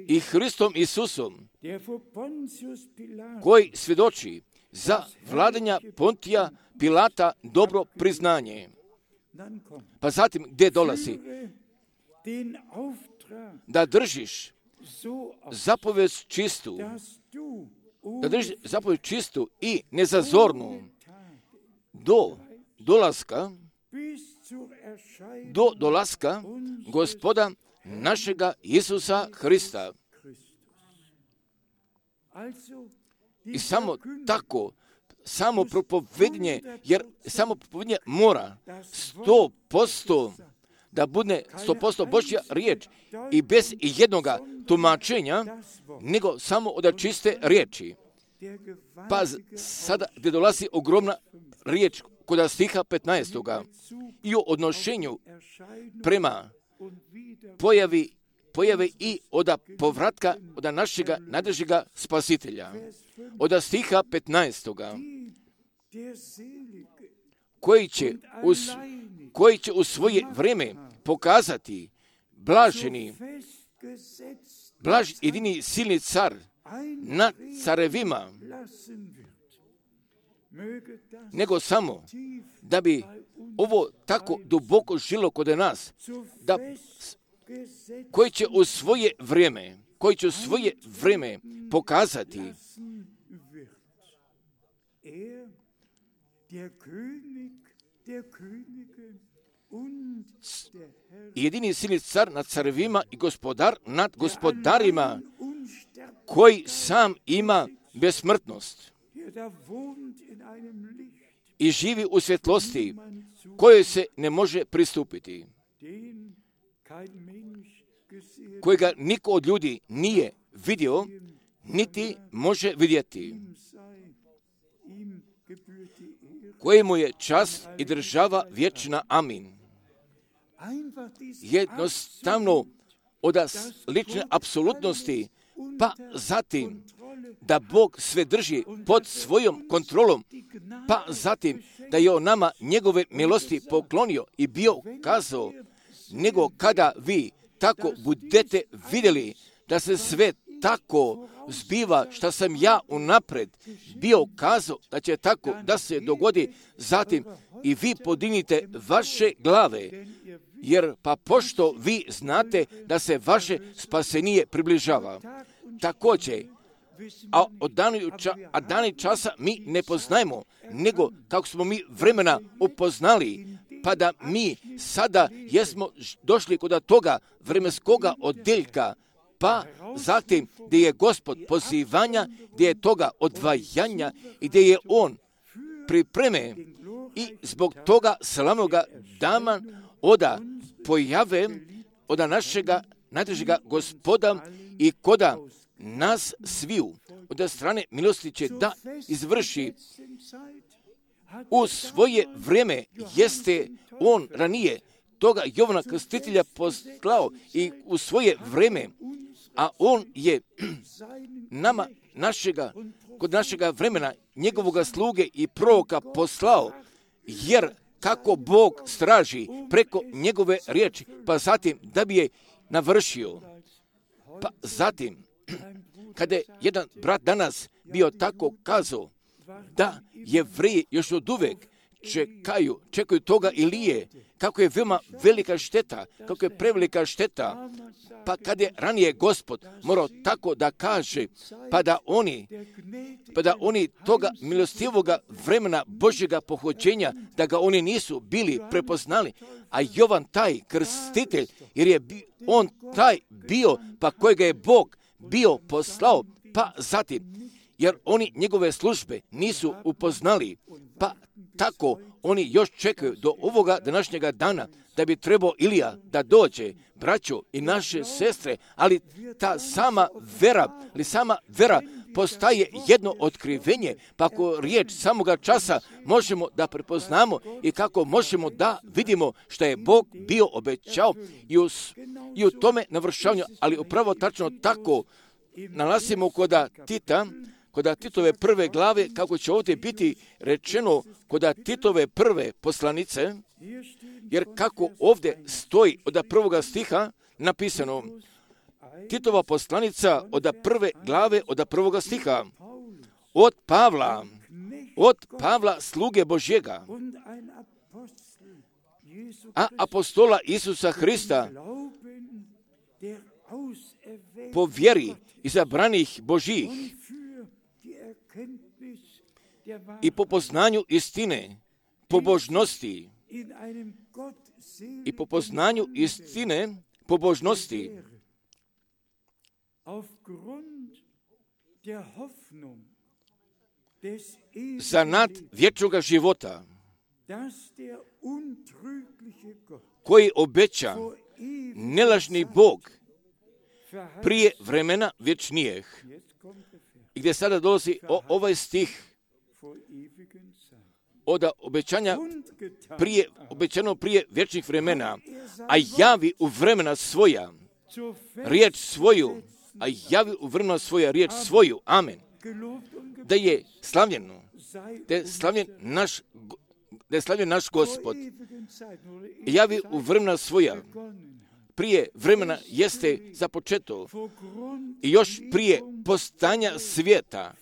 i Hristom Isusom, koji svjedoči za vladanja Pontija Pilata dobro priznanje. Pa zatim gdje dolazi? Da držiš zapovijed čistu, da držiš zapovijed čistu i nezazornu do dolaska, do dolaska Gospoda našega Isusa Hrista. I samo tako, samo propovednje, jer samo propovednje mora sto posto da bude sto posto Božja riječ i bez jednoga tumačenja, nego samo od čiste riječi. Pa sada gdje dolazi ogromna riječ kod stiha petnaestog i o odnošenju prema pojavi pojave i od povratka od našega najdražega spasitelja. Od stiha petnaestog koji će, uz, koji će u svoje vrijeme pokazati blaženi, blaž, jedini silni car nad carevima, nego samo da bi ovo tako duboko žilo kod nas, da koji će u svoje vrijeme, koji će u svoje vrijeme pokazati jedini silni car nad carevima i gospodar nad gospodarima, koji sam ima besmrtnost i živi u svjetlosti kojoj se ne može pristupiti, kojega niko od ljudi nije vidio, niti može vidjeti, kojemu je čast i država vječna. Amin. Jednostavno od lične apsolutnosti, pa zatim da Bog sve drži pod svojom kontrolom, pa zatim da je on nama njegove milosti poklonio i bio kazao, nego kada vi tako budete vidjeli da se sve tako zbiva što sam ja unapred bio kazao da će tako da se dogodi, zatim i vi podignite vaše glave, jer pa pošto vi znate da se vaše spasenije približava. Također, a od dani, ča, a dani časa mi ne poznajemo, nego kako smo mi vremena upoznali, pa da mi sada jesmo došli kod toga vremenskoga odjeljka, pa zatim gdje je Gospod pozivanja, gdje je toga odvajanja i gdje je On pripreme i zbog toga slavnoga dana oda pojave od našega najdražega Gospoda i koda nas sviju od strane milosti će da izvrši u svoje vrijeme. Jeste on ranije toga Jovana Krstitelja poslao i u svoje vrijeme, a on je nama našega, kod našega vremena njegovoga sluge i proroka poslao, jer kako Bog straži preko njegove riječi, pa zatim da bi je navršio. Pa zatim, kada je jedan brat danas bio tako kazao da Jevreji još od uvek čekaju, čekaju toga Ilije, kako je veoma velika šteta, kako je prevelika šteta, pa kad je ranije Gospod morao tako da kaže, pa da oni, pa da oni toga milostivoga vremena Božjega pohođenja, da ga oni nisu bili prepoznali, a Jovan taj krstitelj, jer je bi, on taj bio, pa kojega je Bog bio poslao, pa zatim, jer oni njegove službe nisu upoznali, pa tako oni još čekaju do ovoga današnjega dana da bi trebao Ilija da dođe, braćo i naše sestre, ali ta sama vera, ali sama vera postaje jedno otkrivenje, pa ako riječ samoga časa možemo da prepoznamo i kako možemo da vidimo što je Bog bio obećao i u, i u tome navršavanju, ali upravo tačno tako nalazimo koda Tita, koda Titove prve glave, kako će ovdje biti rečeno koda Titove prve poslanice, jer kako ovdje stoji od prvoga stiha napisano, Titova poslanica od prve glave od prvoga stiha, od Pavla, od Pavla sluge Božjega, a apostola Isusa Hrista, po vjeri izabranih Božjih i po poznanju istine, pobožnosti i po poznanju istine, pobožnosti, za nad vječnoga života, koji obeća nelažni Bog prije vremena vječnijeg. I gdje sada dolazi o, ovaj stih od obećanja prije, obećano prije vječnih vremena, a javi u vremena svoja riječ svoju, a javi u vremena svoja riječ svoju. Amen. Da je slavljeno, da je slavljen naš, da je slavljen naš Gospod. Javi u vremena svoja. Prije vremena jeste započeto i još prije postanja svijeta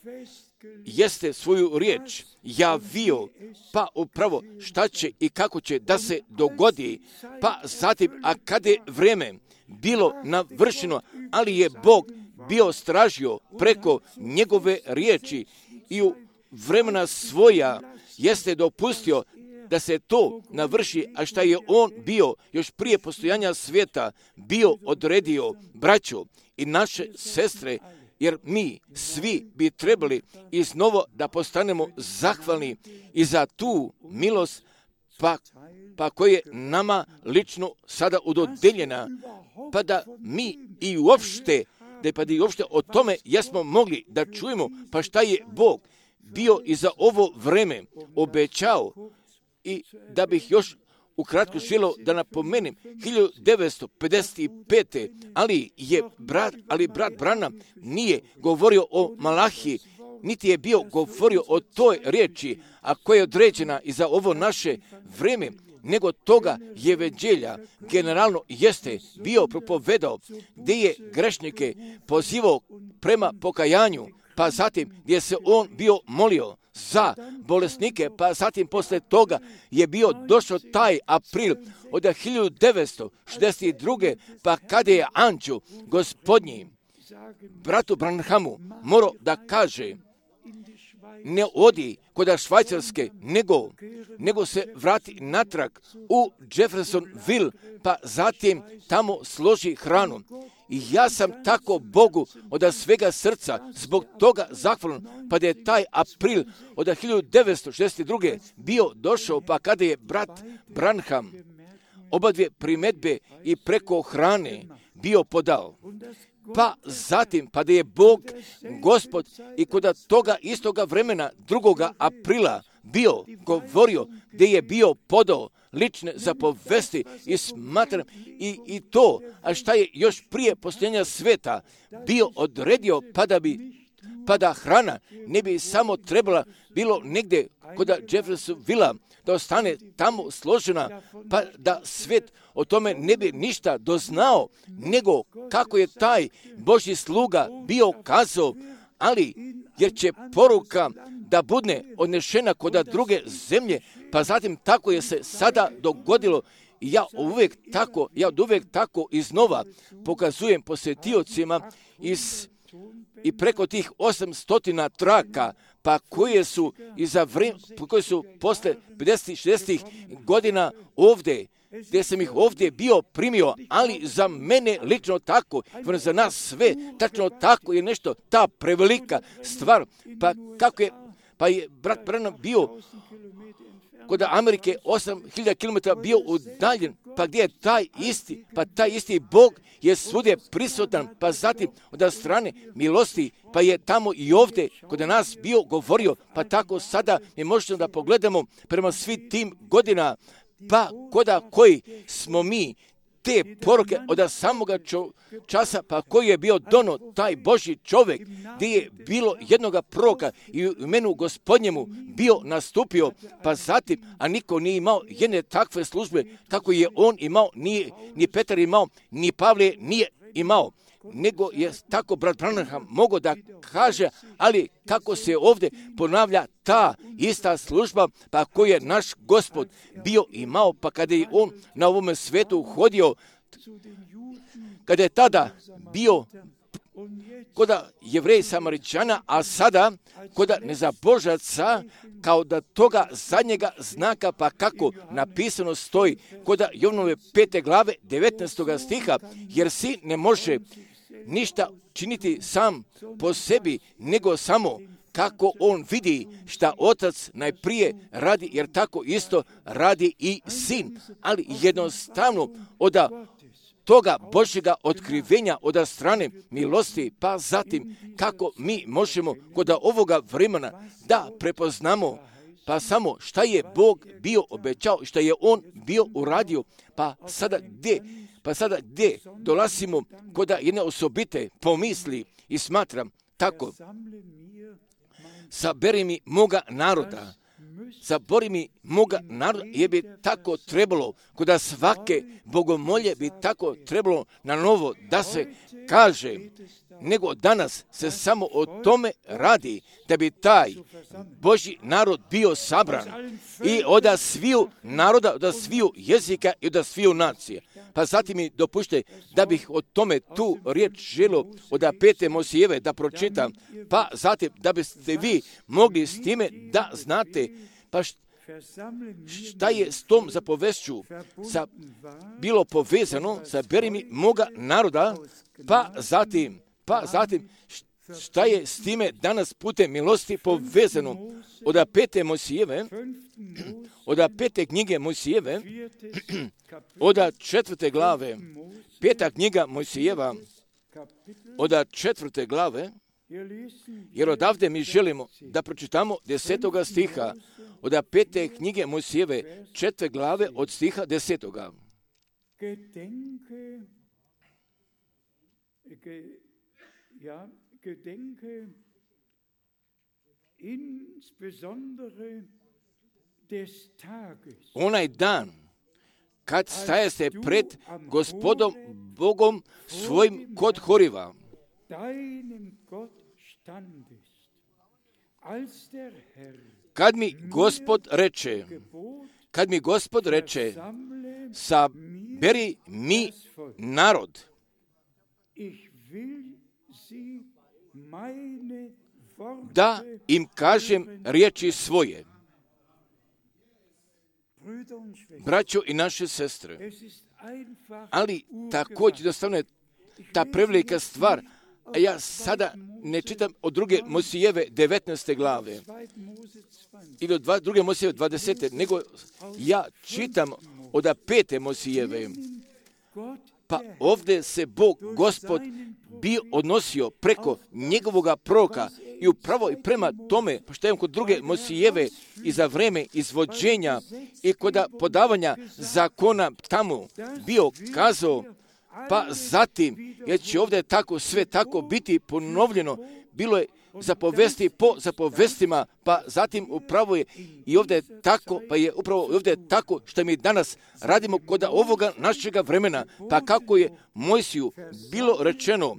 jeste svoju riječ javio, pa upravo šta će i kako će da se dogodi, pa zatim, a kada je vrijeme bilo navršeno, ali je Bog bio stražio preko njegove riječi i u vremena svoja jeste dopustio da se to navrši, a šta je on bio još prije postojanja svijeta bio odredio, braćo i naše sestre, jer mi svi bi trebali iznovo da postanemo zahvalni i za tu milost pa, pa koja je nama lično sada udodeljena, pa da mi i uopšte, da pa da i uopšte o tome jesmo mogli da čujemo, pa šta je Bog bio i za ovo vreme obećao. I da bih još ukratko želio da napomenem, hiljadu devetsto pedeset pete. ali je brat, ali brat Branham nije govorio o Malahiji, niti je bio govorio o toj riječi, a koja je određena i za ovo naše vrijeme, nego toga evanđelja generalno jeste bio propovedao, gdje je grešnike pozivao prema pokajanju, pa zatim gdje se on bio molio za bolesnike, pa zatim posle toga je bio došao taj april od hiljadu devetsto šezdeset druge. pa kada je anđeo gospodnji bratu Branhamu morao da kaže, ne odi kod Švajcarske, nego, nego se vrati natrag u Jeffersonville, pa zatim tamo složi hranu. I ja sam tako Bogu od svega srca zbog toga zahvalan, pa da je taj april od hiljadu devetsto šezdeset druge. bio došao, pa kada je brat Branham oba dvije primedbe i preko hrane bio podao. Pa zatim, pa da je Bog, Gospod, i kod toga istoga vremena, drugoga aprila, bio govorio, gdje je bio podao lične zapovesti i smatram i, i to, a šta je još prije postojanja sveta bio odredio, pa da bi pa da hrana ne bi samo trebala bilo negdje kod Jeffersonville da ostane tamo složena, pa da svet o tome ne bi ništa doznao, nego kako je taj Božji sluga bio kazao, ali jer će poruka da bude odnešena kod druge zemlje, pa zatim tako je se sada dogodilo. I ja uvijek tako, ja uvijek tako iznova pokazujem posjetiocima iz i preko tih osamstotina traka, pa koje su iza vrijeme, koje su posle pedeset šezdeset godina ovdje, gdje sam ih ovdje bio primio, ali za mene lično tako, za nas sve, tačno tako je nešto, ta prevelika stvar, pa kako je, pa je brat Branham bio kod Amerike osam hiljada kilometara bio udaljen, pa gdje je taj isti, pa taj isti Bog je svugdje prisutan, pa zatim od strane milosti, pa je tamo i ovdje kod nas bio govorio, pa tako sada mi možemo da pogledamo prema svim tim godina, pa koda koji smo mi te poruke od samoga čo, časa, pa koji je bio dono taj Božji čovjek, gdje je bilo jednoga proroka i u imenu Gospodnjemu bio nastupio, pa zatim, a niko nije imao jedne takve službe, kako je on imao, nije, ni Petar imao, ni Pavle nije imao, nego je tako brat Branham mogao da kaže, ali kako se ovdje ponavlja ta ista služba, pa koju je naš Gospod bio imao, pa kada je on na ovome svetu hodio, kada je tada bio kod Jevreja Samaričana, a sada kod nezabožaca, kao da toga zadnjega znaka, pa kako napisano stoji kod Jovnove pete glave devetnaestoga stiha, jer sin ne može ništa činiti sam po sebi, nego samo kako on vidi šta otac najprije radi, jer tako isto radi i sin. Ali jednostavno od toga Božjega otkrivenja od strane milosti, pa zatim kako mi možemo kod ovoga vremena da prepoznamo pa samo šta je Bog bio obećao, šta je on bio uradio, pa sada gdje, pa sada gdje dolazimo kod jedne osobite pomisli i smatram tako, saberi mi moga naroda, sabori mi moga naroda, je bi tako trebalo, kod svake bogomolje bi tako trebalo na novo da se kaže, nego danas se samo o tome radi, da bi taj Božji narod bio sabran i od sviju naroda, od sviju jezika i od sviju nacije. Pa zatim mi dopušte da bih o tome tu riječ želio od pete Mosijeve da pročitam, pa zatim da biste vi mogli s time da znate pa šta je s tom zapovešću sa, bilo povezano sa beri mi moga naroda, pa zatim, pa zatim šta je s time danas putem milosti povezano od pete Mosijeve, od pete knjige Mosijeve, od četvrte glave, peta knjiga Mosijeva, od četvrte glave, jer odavde mi želimo da pročitamo desetoga stiha, od pete knjige Mosijeve, četvrte glave od stiha desetoga. Gedenke, ge, ja, gedenke insbesondere des Tages. Onaj dan kad staje se pred Gospodom Bogom svojim kod Horiva. Deinem Gott standest, als der Herr Kad mi Gospod reče, kad mi Gospod reče, saberi mi narod, da im kažem riječi svoje. Braćo i naše sestre, ali također jednostavno je ta prevelika stvar, a ja sada ne čitam od druge Mosijeve devetnaeste glave ili od dva, druge Mosijeve dvadesete, nego ja čitam od pete Mosijeve. Pa ovdje se Bog, Gospod, bio odnosio preko njegovoga proroka i upravo i prema tome, pošto je kod druge Mosijeve i za vreme izvođenja i kod podavanja zakona tamo bio kazao, pa zatim, jer će ovdje tako sve tako biti ponovljeno, bilo je zapovesti po zapovestima, pa zatim upravo je i ovdje tako, pa je upravo ovdje tako što mi danas radimo kod ovoga našega vremena, pa kako je Mojsiju bilo rečeno,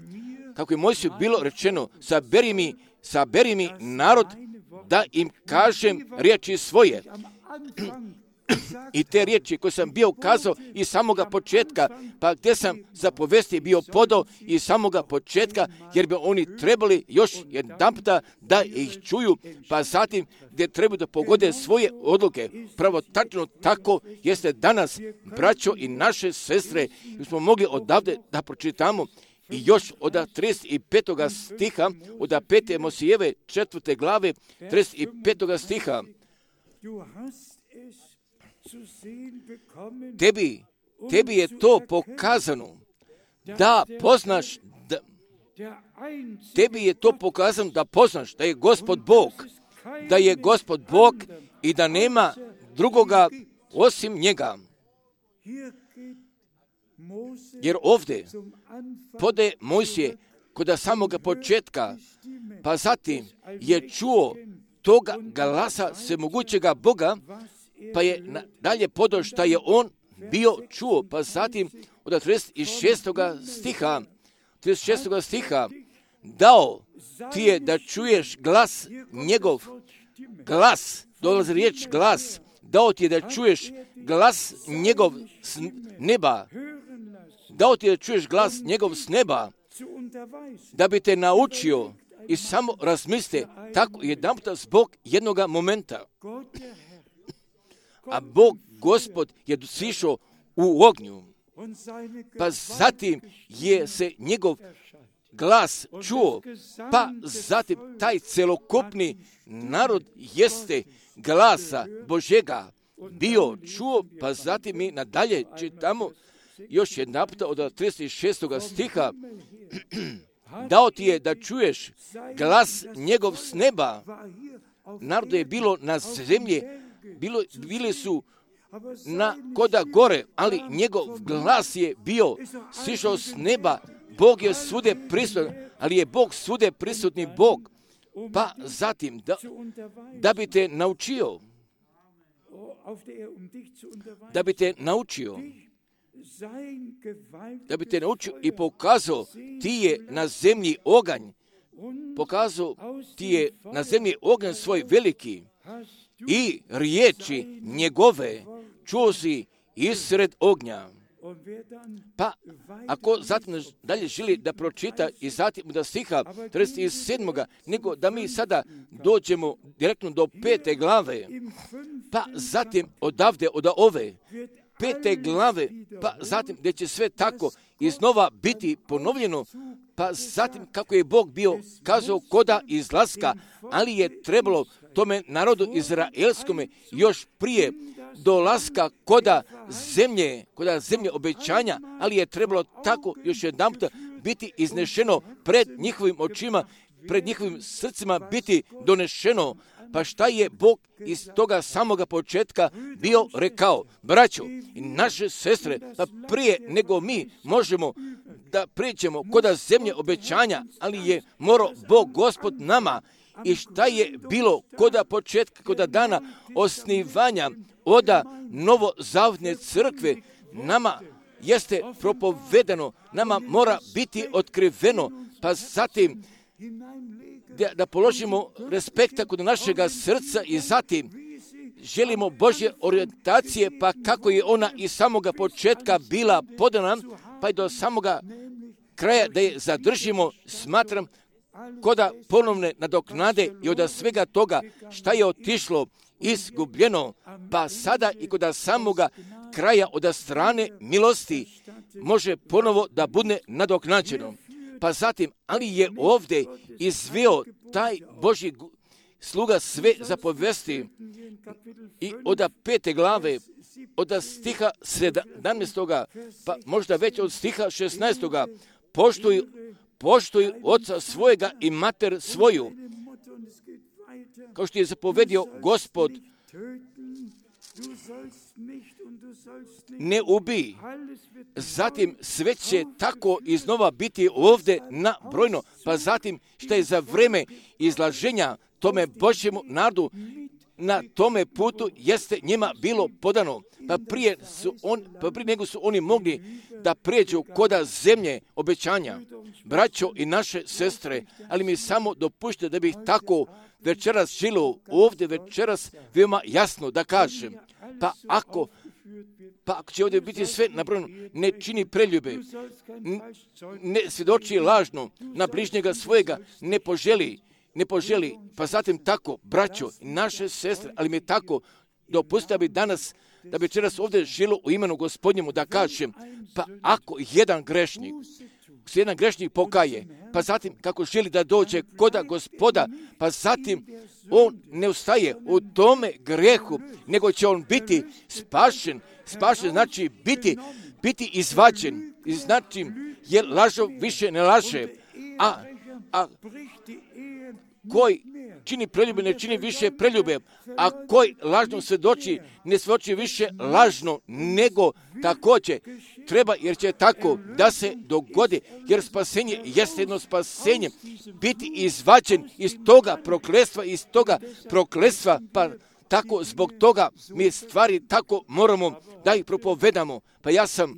kako je Mojsiju bilo rečeno, saberi mi, saberi mi narod da im kažem riječi svoje. I te riječi koje sam bio kazao iz samoga početka, pa gdje sam zapovesti bio podao iz samoga početka, jer bi oni trebali još jedanputa da ih čuju, pa zatim gdje trebaju da pogode svoje odluke. Pravo tačno tako jeste danas, braćo i naše sestre, smo mogli odavde da pročitamo i još od trideset petoga stiha, od pete Mosijeve četvrte glave, trideset petoga stiha. Tebi, tebi je to pokazano da poznaš, da, tebi je to pokazano da poznaš da je Gospod Bog, da je Gospod Bog i da nema drugoga osim njega. Jer ovdje pode Mojsije kod samoga početka, pa zatim je čuo toga glasa svemogućega Boga, pa je dalje podao šta je on bio čuo, pa zatim od trideset šestoga stiha, trideset šestoga stiha, dao ti je da čuješ glas njegov, glas, dolazi riječ glas, dao ti je da čuješ glas njegov s neba, dao ti je da čuješ glas njegov s neba, da bi te naučio i samo razmislite tako jedanputa zbog jednoga momenta. A Bog, Gospod, je sišao u ognju, pa zatim je se njegov glas čuo, pa zatim taj celokupni narod jeste glasa Božega bio čuo, pa zatim mi nadalje čitamo još jedna puta od trideset šestoga stiha, dao ti je da čuješ glas njegov s neba. Narodu je bilo na zemlji, bilo, bili su na koda gore, ali njegov glas je bio sišao s neba. Bog je svude prisutan, ali je Bog svude prisutni Bog. Pa zatim da, da bi te naučio, da bi te naučio, da bi te naučio i pokazao ti je na zemlji oganj, pokazao ti je na zemlji oganj svoj veliki i riječi njegove čuo si isred ognja. Pa, ako zatim dalje želi da pročita i zatim da stiha trideset sedmoga, nego da mi sada dođemo direktno do pete glave, pa zatim odavde, od ove pete glave, pa zatim gdje će sve tako iznova biti ponovljeno, pa zatim kako je Bog bio kazao koda izlaska, ali je trebalo tome narodu izraelskome još prije dolaska koda zemlje, koda zemlje obećanja, ali je trebalo tako još jedanputa biti iznešeno pred njihovim očima, pred njihovim srcima biti donešeno. Pa šta je Bog iz toga samoga početka bio rekao? Braćo i naše sestre, pa prije nego mi možemo da prijeđemo koda zemlje obećanja, ali je morao Bog Gospod nama. I šta je bilo koda početka, koda dana osnivanja oda novozavjetne crkve, nama jeste propovedano, nama mora biti otkriveno, pa zatim da, da položimo respekta kod našega srca i zatim želimo Božje orijentacije, pa kako je ona iz samoga početka bila podana, pa i do samoga kraja da je zadržimo, smatram, koda ponovne nadoknade i od svega toga šta je otišlo izgubljeno, pa sada i kod samoga kraja od strane milosti može ponovo da bude nadoknađeno. Pa zatim, ali je ovdje izveo taj Božji sluga sve zapovesti i od pete glave, od stiha sedamnaestoga, pa možda već od stiha šesnaestoga, poštuj, poštuj oca svojega i mater svoju, kao što je zapovedio Gospod, ne ubij. Zatim sve će tako iznova biti ovdje nabrojno, pa zatim što je za vreme izlaženja tome Božjemu narodu na tome putu jeste njima bilo podano, pa prije, su on, pa prije nego su oni mogli da prijeđu koda zemlje obećanja. Braćo i naše sestre, ali mi samo dopušte da bih tako večeras žilo ovdje večeras veoma jasno da kažem, pa ako Pa ako će ovdje biti sve nabrojeno, ne čini preljube, ne svjedoči lažno na bližnjega svojega, ne poželi, ne poželi, pa zatim tako, braćo, naše sestre, ali mi tako dopustite da bi danas, da bi večeras ovdje žilo u imenu Gospodnjemu da kažem, pa ako jedan grešnik, se jedan grešnik pokaje, pa zatim kako želi da dođe koda Gospoda, pa zatim on ne ustaje u tome grehu, nego će on biti spašen. Spašen znači biti, biti izvađen. I znači, jer lažov više ne laže, a, a koji čini preljube, ne čini više preljube, a koji lažno svjedoči, ne svjedoči više lažno, nego također treba, jer će tako da se dogodi, jer spasenje jeste jedno spasenje, biti izvađen iz toga prokletstva, iz toga prokletstva, pa tako zbog toga mi stvari tako moramo da ih propovedamo. Pa ja sam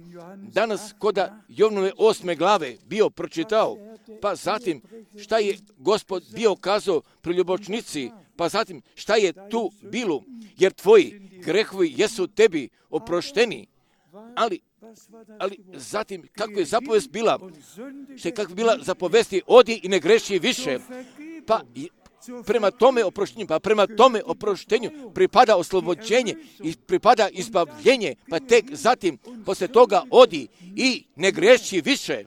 danas koda Jovnove osme glave bio pročitao, pa zatim šta je Gospod bio kazao preljubočnici, pa zatim šta je tu bilo, jer tvoji grehovi jesu tebi oprošteni, ali ali zatim kako je zapovest bila, što je kako bila zapovesti, odi i ne greši više, pa prema tome oproštenju, pa prema tome oproštenju pripada oslobođenje i pripada izbavljenje, pa tek zatim posle toga odi i ne greši više.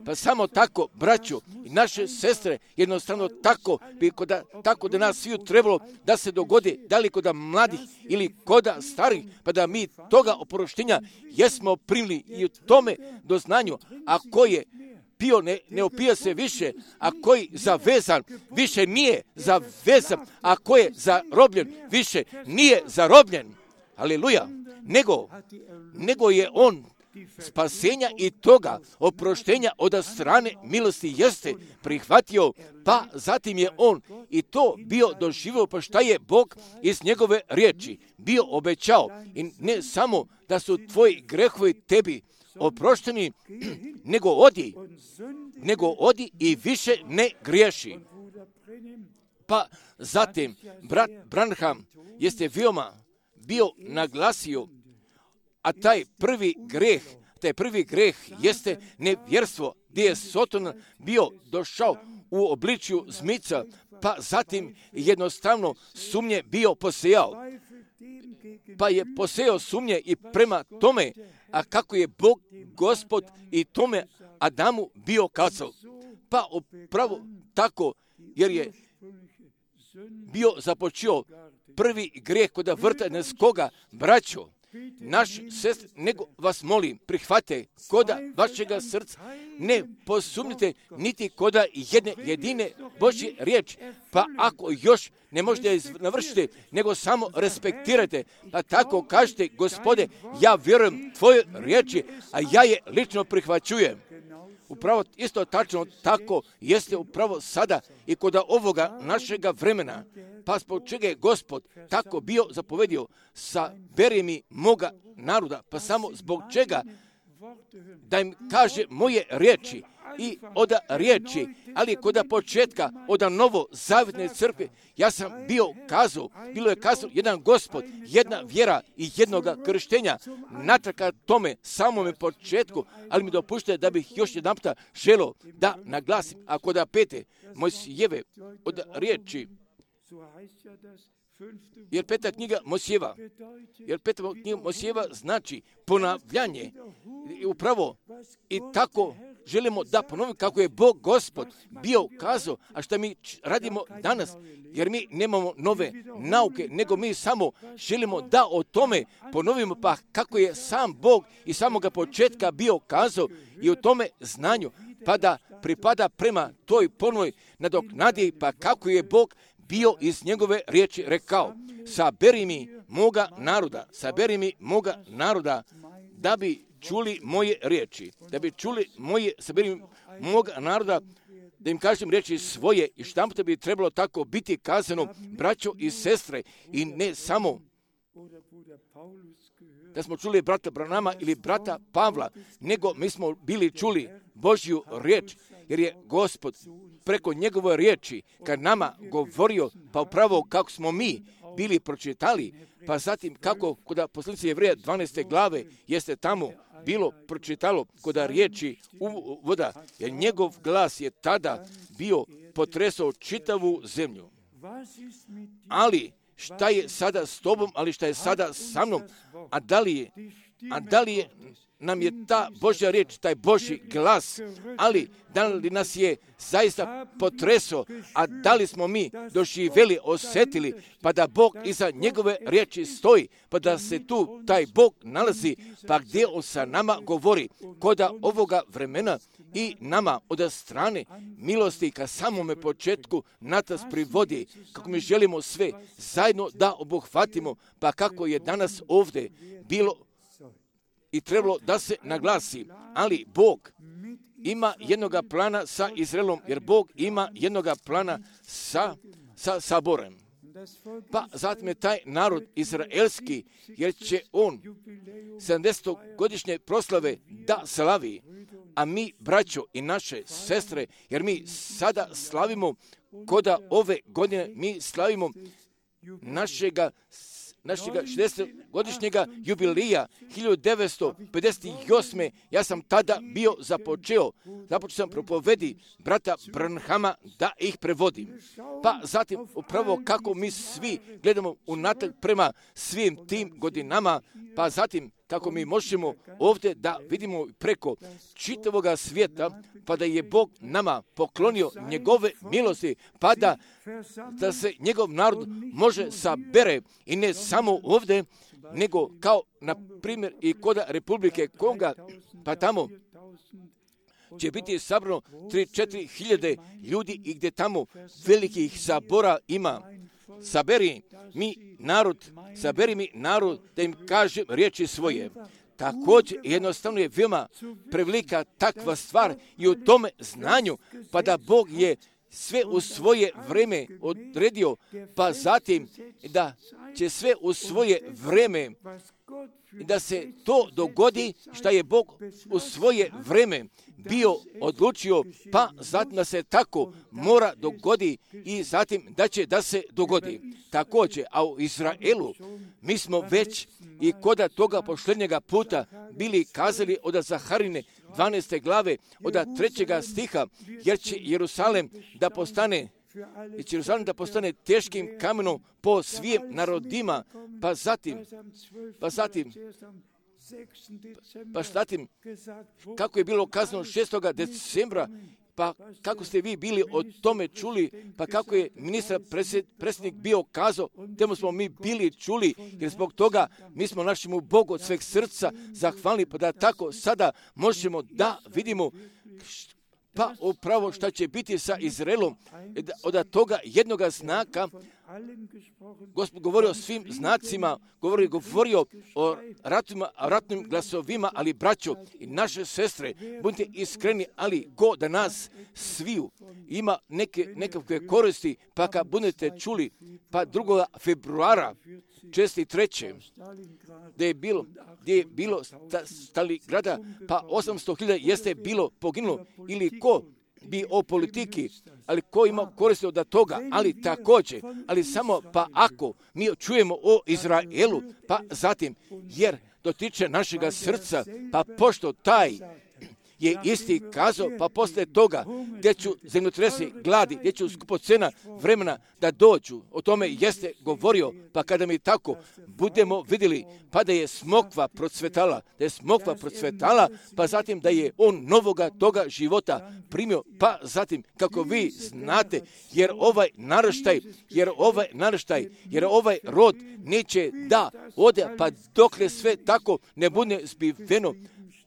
Pa samo tako, braćo i naše sestre, jednostavno tako bi koda, tako da nas sviju trebalo da se dogodi, da li koda mladih ili koda starih, pa da mi toga oproštenja jesmo primili i u tome doznanju, a ko je pio ne, ne opija se više, a koji zavezan više nije zavezan, a ko je zarobljen više nije zarobljen. Aleluja. Nego, nego je on spasenja i toga oproštenja od strane milosti jeste prihvatio, pa zatim je on i to bio doživio, pa šta je Bog iz njegove riječi bio obećao. I ne samo da su tvoji grehovi tebi oprošteni, nego odi, nego odi i više ne griješi. Pa zatim brat Branham jeste veoma bio naglasio, a taj prvi greh, taj prvi greh jeste nevjerstvo, gdje je Soton bio došao u obličju zmica, pa zatim jednostavno sumnje bio posejao. Pa je posejao sumnje i prema tome, a kako je Bog, Gospod i tome Adamu bio kazao. Pa upravo tako, jer je bio započeo prvi grijeh kod vrta Edenskoga, braćo, naš sest, nego vas molim, prihvate koda vašega srca, ne posumnite niti koda jedne jedine Božje riječ, pa ako još ne možete navršiti, nego samo respektirajte, pa tako kažete, Gospode, ja vjerujem tvoje riječi, a ja je lično prihvaćujem. Upravo isto tačno tako jeste upravo sada i kod ovoga našega vremena. Pa zbog čega je Gospod tako bio zapovedio, saberi mi moga naroda, pa samo zbog čega da im kaže moje riječi i od riječi, ali kod početka od novo zavjetne crkve, ja sam bio kazao, bilo je kazao jedan Gospod, jedna vjera i jednoga krštenja, natraka tome samome početku, ali mi dopušte da bih još jedan puta želio da naglasim, a kod pete Mojsijeve od riječi, jer peta knjiga Mojsijeva, jer peta knjiga Mojsijeva znači ponavljanje, upravo i tako želimo da ponovimo kako je Bog Gospod bio kazao, a što mi radimo danas, jer mi nemamo nove nauke, nego mi samo želimo da o tome ponovimo, pa kako je sam Bog i samoga početka bio kazao i u tome znanju, pa da pripada prema toj ponovoj nadoknadi, pa kako je Bog bio iz njegove riječi rekao, saberi mi moga naroda, saberi mi moga naroda, da bi čuli moje riječi, da bi čuli moje, saberi mi moga naroda, da im kažem riječi svoje i šta bi trebalo tako biti kazano, braćo i sestre, i ne samo da smo čuli brata Branama ili brata Pavla, nego mi smo bili čuli Božju riječ, jer je Gospod preko njegove riječi kad nama govorio, pa upravo kako smo mi bili pročitali, pa zatim kako kod poslanice Jevreja dvanaeste glave jeste tamo bilo pročitalo kod riječi uvoda, jer njegov glas je tada bio potresao čitavu zemlju. Ali šta je sada s tobom, ali šta je sada sa mnom, a da li je, a da li je nam je ta Božja riječ, taj Božji glas, ali da li nas je zaista potresao, a da li smo mi doživjeli, osjetili, pa da Bog iza njegove riječi stoji, pa da se tu taj Bog nalazi, pa gdje on sa nama govori, koda ovoga vremena i nama od strane milosti ka samome početku nas privodi, kako mi želimo sve zajedno da obuhvatimo, pa kako je danas ovdje bilo i trebalo da se naglasi, ali Bog ima jednoga plana sa Izraelom, jer Bog ima jednoga plana sa, sa saborem. Pa zatim je taj narod izraelski, jer će on sedamdesetogodišnje proslave da slavi, a mi, braćo i naše sestre, jer mi sada slavimo, koda ove godine mi slavimo našega našega šezdesetogodišnjega jubilija hiljadu devetsto pedeset osme. Ja sam tada bio započeo, započeo sam propovedi brata Branhama da ih prevodim. Pa zatim upravo kako mi svi gledamo unatrag prema svim tim godinama, pa zatim kako mi možemo ovdje da vidimo preko čitavoga svijeta, pa da je Bog nama poklonio njegove milosti, pa da, da se njegov narod može sabere i ne samo ovdje, nego kao na primjer i kod Republike Konga, pa tamo će biti sabrano tri do četiri hiljade ljudi i gdje tamo velikih sabora ima. Saberi mi narod, saberi mi narod da im kažem riječi svoje. Također jednostavno je veoma prevelika takva stvar i u tome znanju, pa da Bog je sve u svoje vrijeme odredio, pa zatim da će sve u svoje vrijeme da se to dogodi što je Bog u svoje vrijeme bio odlučio, pa zatim da se tako mora dogodi i zatim da će da se dogodi. Također, a u Izraelu mi smo već i koda toga posljednjega puta bili kazali od Zaharine dvanaeste glave, od trećega stiha, jer će Jerusalem da postane i će Jerusalem da postane teškim kamenom po svim narodima, pa zatim, pa zatim, pa zatim, kako je bilo kazano šestog decembra, pa kako ste vi bili o tome čuli, pa kako je ministar predsjednik bio kazao, temu smo mi bili čuli, jer zbog toga mi smo našemu Bogu od sveg srca zahvalni, pa da tako sada možemo da vidimo pa upravo šta će biti sa Izraelom, od toga jednoga znaka. Gospod govori o svim znacima, govori, govorio o ratima, ratnim glasovima, ali braćo i naše sestre, budite iskreni, ali ko da nas sviju ima neke, nekakve koristi, pa kad budete čuli, pa drugog februara šezdeset treće gdje je bilo, gdje je bilo Stalingrada, pa osamsto hiljada jeste bilo poginulo, ili ko bi o politiki, ali ko ima koristi od toga, ali također, ali samo pa ako mi čujemo o Izraelu, pa zatim, jer dotiče našega srca, pa pošto taj je isti kazao, pa poslije toga gdje ću zemljotresi gladi, gdje ću skupocena vremena da dođu, o tome jeste govorio, pa kada mi tako budemo vidjeli, pa da je smokva procvetala, da je smokva procvetala, pa zatim da je on novoga toga života primio, pa zatim kako vi znate, jer ovaj naraštaj, jer ovaj naraštaj, jer ovaj rod neće da ode, pa dokle sve tako ne bude zbiveno,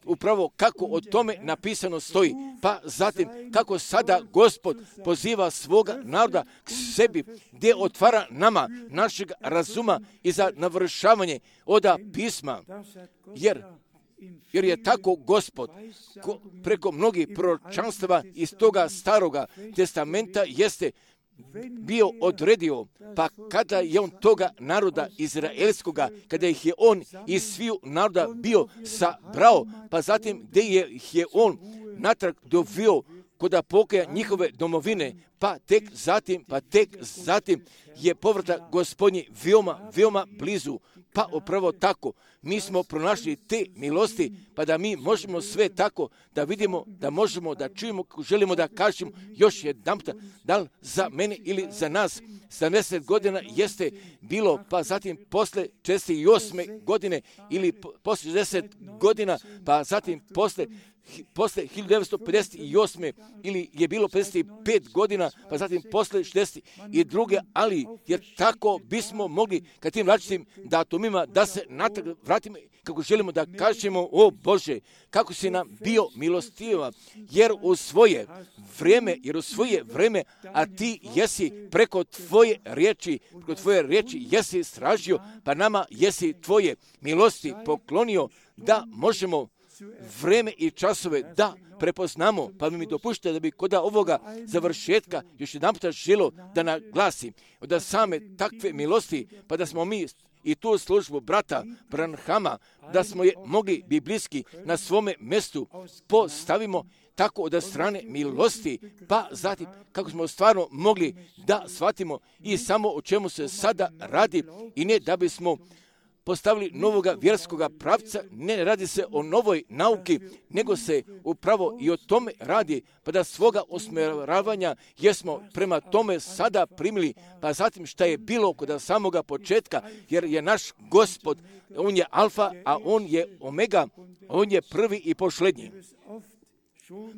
upravo kako o tome napisano stoji. Pa zatim kako sada Gospod poziva svoga naroda k sebi, gdje otvara nama našeg razuma i za navršavanje oda pisma. Jer jer je tako Gospod ko, preko mnogih proročanstava iz toga staroga testamenta jeste bio odredio, pa kada je on toga naroda izraelskoga, kada ih je on iz sviju naroda bio sabrao, pa zatim gdje je, ih je on natrag dovio koda pokaja njihove domovine, pa tek zatim, pa tek zatim je povratak Gospodnji veoma, veoma blizu. Pa upravo tako, mi smo pronašli te milosti, pa da mi možemo sve tako da vidimo, da možemo da čujemo, želimo da kažemo još jedanputa, da li za mene ili za nas sedamdeset godina jeste bilo, pa zatim posle četrdeset osme godine ili posle šezdeset godina, pa zatim posle posle hiljadu devetsto pedeset osme ili je bilo pedeset pet godina, pa zatim posle šezdeset druge ali jer tako bismo mogli kad tim različitim datumima da se natrag vratimo, kako želimo da kažemo, o Bože, kako si nam bio milostiva, jer u svoje vreme, jer u svoje vreme, a ti jesi preko tvoje riječi, preko tvoje riječi jesi stražio, pa nama jesi tvoje milosti poklonio da možemo vreme i časove da prepoznamo, pa mi dopušte da bi kod ovoga završetka još jedan puta želo da naglasim da same takve milosti, pa da smo mi i tu službu brata Branhama, da smo je mogli biblijski na svome mjestu postavimo tako od strane milosti, pa zatim kako smo stvarno mogli da shvatimo i samo o čemu se sada radi i ne da bismo postavili novoga vjerskoga pravca, ne radi se o novoj nauki, nego se upravo i o tome radi, pa da svoga usmjeravanja jesmo prema tome sada primili, pa zatim šta je bilo kod samoga početka, jer je naš Gospod, on je alfa, a on je omega, on je prvi i posljednji.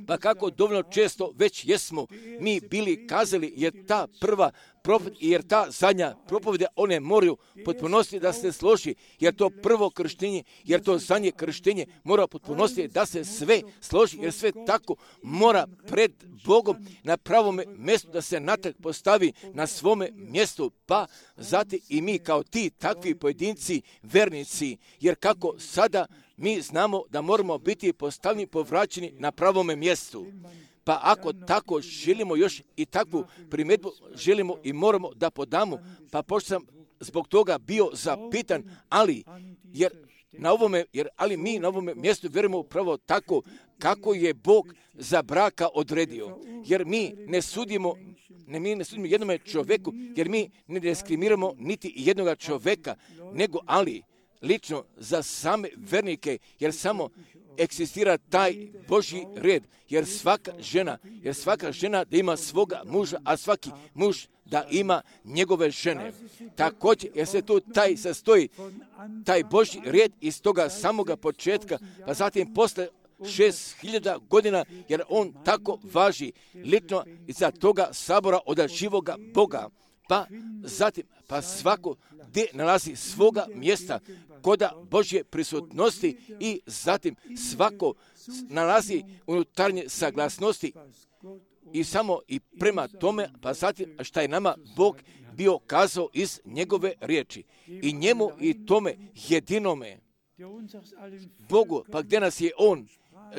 Pa kako dovoljno često već jesmo mi bili kazali, jer ta prva propoved, jer ta zadnja propovede, one moraju potpunosti da se složi, jer to prvo krštenje, jer to zadnje krštenje mora potpunosti da se sve složi, jer sve tako mora pred Bogom na pravome mjestu da se natrag postavi na svome mjestu, pa zatim i mi kao ti takvi pojedinci, vernici, jer kako sada mi znamo da moramo biti postavljeni, povraćeni na pravome mjestu. Pa ako tako želimo još i takvu primjedbu želimo i moramo da podamo, pa pošto sam zbog toga bio zapitan, ali jer na ovome, jer ali mi na ovome mjestu vjerujemo upravo tako kako je Bog za braka odredio. Jer mi ne sudimo, ne mi ne sudimo jednome čovjeku, jer mi ne diskriminiramo niti jednoga čovjeka, nego ali lično za same vernike, jer samo eksistira taj Božji red, jer svaka žena, jer svaka žena da ima svoga muža, a svaki muž da ima njegove žene. Također, jer se tu taj sastoji, taj Božji red iz toga samoga početka, pa zatim posle šest hiljada godina, jer on tako važi lično iza toga sabora od živoga Boga. Pa zatim, pa svako gdje nalazi svoga mjesta koda Božje prisutnosti i zatim svako nalazi unutarnje saglasnosti i samo i prema tome, pa zatim šta je nama Bog bio kazao iz njegove riječi. I njemu i tome jedinome Bogu, pa gdje nas je on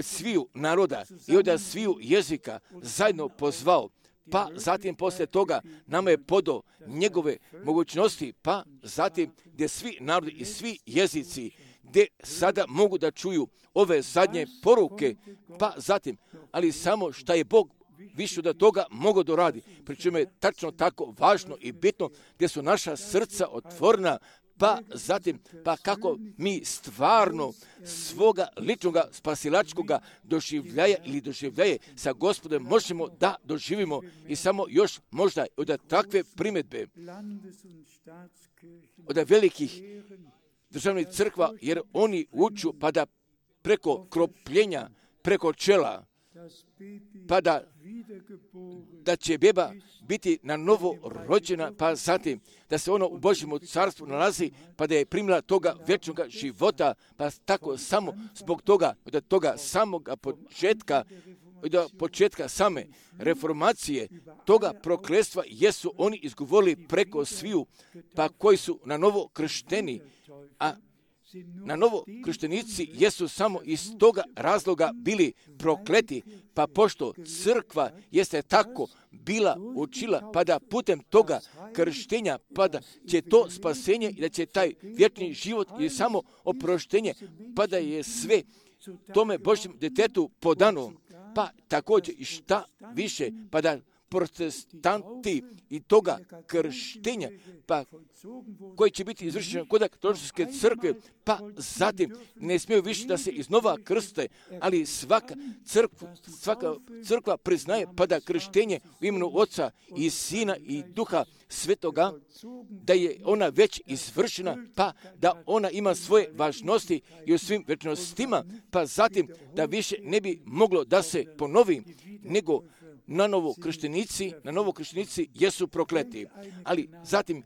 sviju naroda i od sviju jezika zajedno pozvao, pa zatim poslije toga nama je podao njegove mogućnosti, pa zatim gdje svi narodi i svi jezici gdje sada mogu da čuju ove zadnje poruke, pa zatim, ali samo šta je Bog više od toga mogao doradi, pričemu je tačno tako važno i bitno gdje su naša srca otvorena, pa zatim, pa kako mi stvarno svoga ličnoga spasilačkoga doživljaja ili doživljaje sa Gospodem možemo da doživimo i samo još možda od takve primjedbe od velikih državnih crkva, jer oni uču pa da preko kropljenja, preko čela, pa da, da će beba biti na novo rođena, pa zatim da se ono u Božjem carstvu nalazi, pa da je primila toga vječnog života, pa tako samo zbog toga, od toga samoga početka, od početka same reformacije, toga prokletstva jesu oni izgovorili preko sviju, pa koji su na novo kršteni, a na novo krštenici jesu samo iz toga razloga bili prokleti, pa pošto crkva jeste tako bila učila, pa da putem toga krštenja, pa da će to spasenje i da će taj vječni život i samo oproštenje, pa da je sve tome Božjem djetetu podano, pa također i šta više, pa da protestanti i toga krštenja, pa koji će biti izvršeno kod katoličke crkve, pa zatim ne smiju više da se iznova krste, ali svaka crkva, svaka crkva priznaje pa da krštenje u imenu Oca i Sina i Duha Svetoga, da je ona već izvršena, pa da ona ima svoje važnosti i u svim večnostima, pa zatim da više ne bi moglo da se ponovi, nego na novo krštenici, na novo krštenici jesu prokleti. Ali zatim,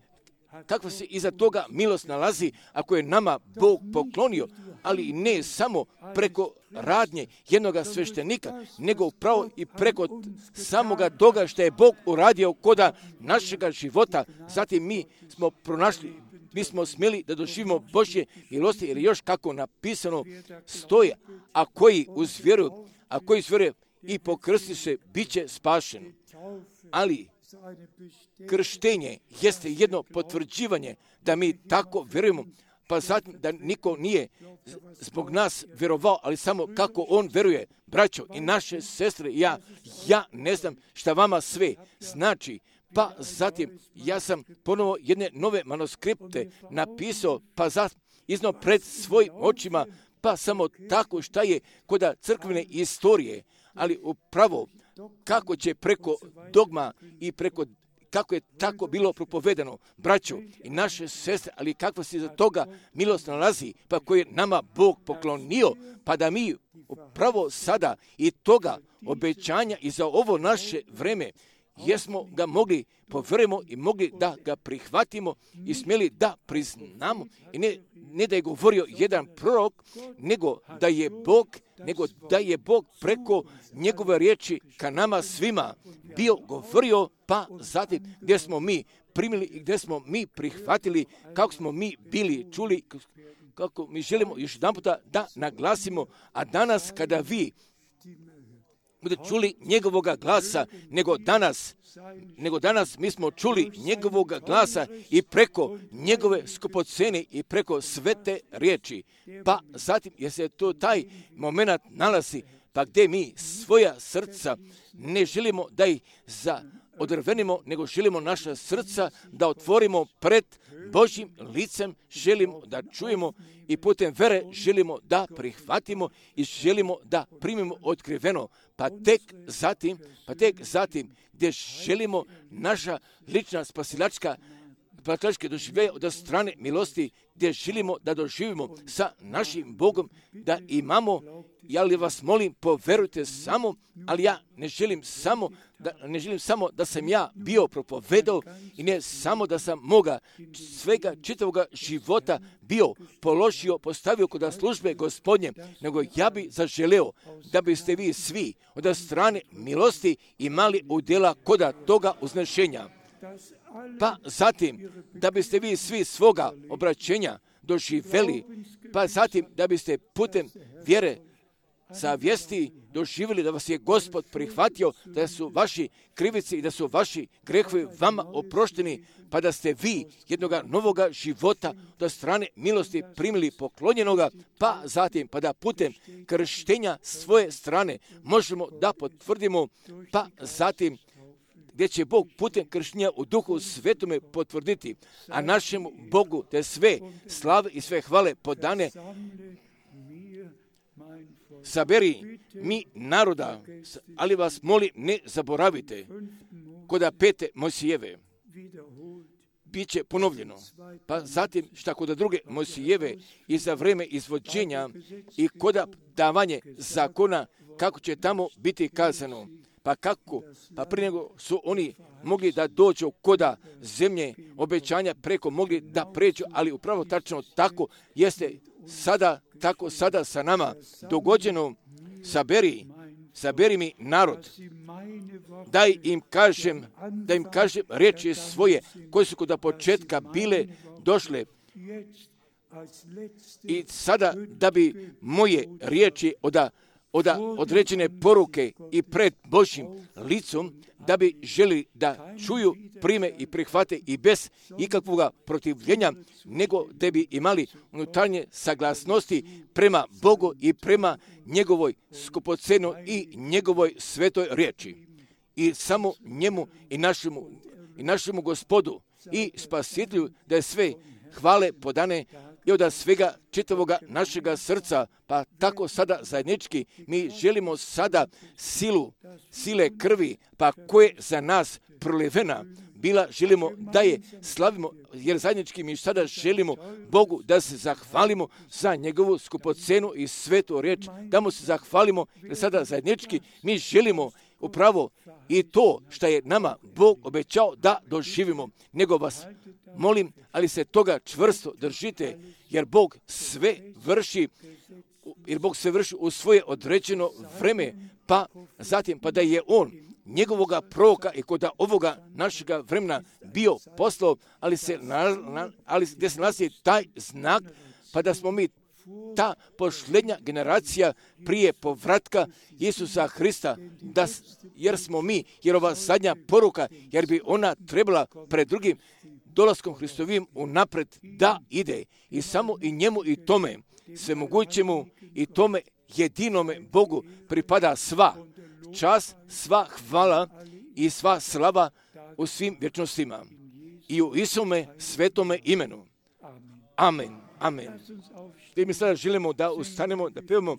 kakva se iza toga milost nalazi, ako je nama Bog poklonio, ali ne samo preko radnje jednoga sveštenika, nego upravo i preko samoga toga što je Bog uradio koda našega života. Zatim mi smo pronašli, mi smo smjeli da doživimo Božje milosti, jer još kako napisano stoje, a koji uz vjeru, a koji uz vjeru i pokrsti se, bit će spašen. Ali krštenje jeste jedno potvrđivanje da mi tako vjerujemo, pa zatim da niko nije zbog nas vjerovao, ali samo kako on vjeruje. Braćo i naše sestre, ja, ja ne znam šta vama sve znači, pa zatim ja sam ponovo jedne nove manuskripte napisao, pa zatim iznao pred svojim očima, pa samo tako šta je koda crkvene istorije, ali upravo kako će preko dogma i preko kako je tako bilo propovedano, braćo i naše sestre, ali kakva se za toga milost nalazi, pa koje je nama Bog poklonio, pa da mi upravo sada i toga obećanja i za ovo naše vreme jesmo ga mogli povjerujemo i mogli da ga prihvatimo i smjeli da priznamo. I ne, ne da je govorio jedan prorok, nego da je Bog, nego da je Bog preko njegove riječi ka nama svima bio govorio, pa zatim gdje smo mi primili i gdje smo mi prihvatili, kako smo mi bili čuli, kako mi želimo još jedan puta da naglasimo, a danas kada vi budete čuli njegovoga glasa, nego danas, nego danas mi smo čuli njegovoga glasa i preko njegove skupocene i preko svete riječi. Pa zatim, jer se to taj moment nalazi, pa gdje mi svoja srca ne želimo da ih za odrvenimo, nego želimo naša srca da otvorimo pred Božjim licem, želimo da čujemo i putem vere želimo da prihvatimo i želimo da primimo otkriveno. Pa tek zatim, pa tek zatim gdje želimo naša lična spasilačka spasilačke doživljaje od strane milosti, gdje želimo da doživimo sa našim Bogom, da imamo, ja li vas molim, poverujte samo, ali ja ne želim samo da, ne želim samo da sam ja bio propovedao i ne samo da sam moga svega čitavoga života bio položio, postavio kod službe Gospodnje, nego ja bi zaželeo da biste vi svi od strane milosti imali udjela koda toga uznešenja. Pa zatim, da biste vi svi svoga obraćenja doživjeli, pa zatim da biste putem vjere sa vijesti doživjeli da vas je Gospod prihvatio, da su vaši krivice i da su vaši grehovi vama oprošteni, pa da ste vi jednoga novoga života do strane milosti primili poklonjenoga, pa zatim pa da putem krštenja svoje strane možemo da potvrdimo, pa zatim gdje će Bog putem krštenja u Duhu Svetome potvrditi, a našemu Bogu te sve slave i sve hvale podane. Saberi mi naroda, ali vas molim ne zaboravite, koda pete Mojsijeve bit će ponovljeno, pa zatim šta koda druge Mojsijeve i za vreme izvođenja i koda davanje zakona, kako će tamo biti kazano. Pa kako? Pa prije nego su oni mogli da dođu koda zemlje obećanja preko mogli da pređu, ali upravo tačno tako jeste sada, tako sada sa nama dogođeno. Saberi, saberi mi narod, daj im kažem, da im kažem riječi svoje koje su kod početka bile došle. I sada da bi moje riječi oda, oda određene poruke i pred Božjim licom, da bi želi da čuju, prime i prihvate i bez ikakvoga protivljenja, nego da bi imali unutarnje saglasnosti prema Bogu i prema njegovoj skupocenoj i njegovoj svetoj riječi. I samo njemu i našemu, i našemu Gospodu i Spasitelju da je sve hvale podane i od svega čitavoga našega srca, pa tako sada zajednički mi želimo sada silu, sile krvi, pa koje za nas prolivena bila, želimo da je slavimo, jer zajednički mi sada želimo Bogu da se zahvalimo za njegovu skupocenu i svetu riječ, da mu se zahvalimo, jer sada zajednički mi želimo upravo i to što je nama Bog obećao da doživimo. Nego vas molim, ali se toga čvrsto držite, jer Bog sve vrši, jer Bog sve vrši u svoje određeno vreme, pa zatim pa da je On njegovoga proroka i kod ovoga našega vremena bio poslao, ali se, na, na, ali gdje se nalazi taj znak, pa da smo mi ta posljednja generacija prije povratka Isusa Hrista, da, jer smo mi, jer ova zadnja poruka, jer bi ona trebala pred drugim dolaskom Hristovim unapred da ide. I samo i njemu i tome, svemogućemu i tome jedinome Bogu pripada sva čast, sva hvala i sva slava u svim vječnostima. I u Isume svetome imenu. Amen. Amen. I mi sada želimo da ustanemo, da pevamo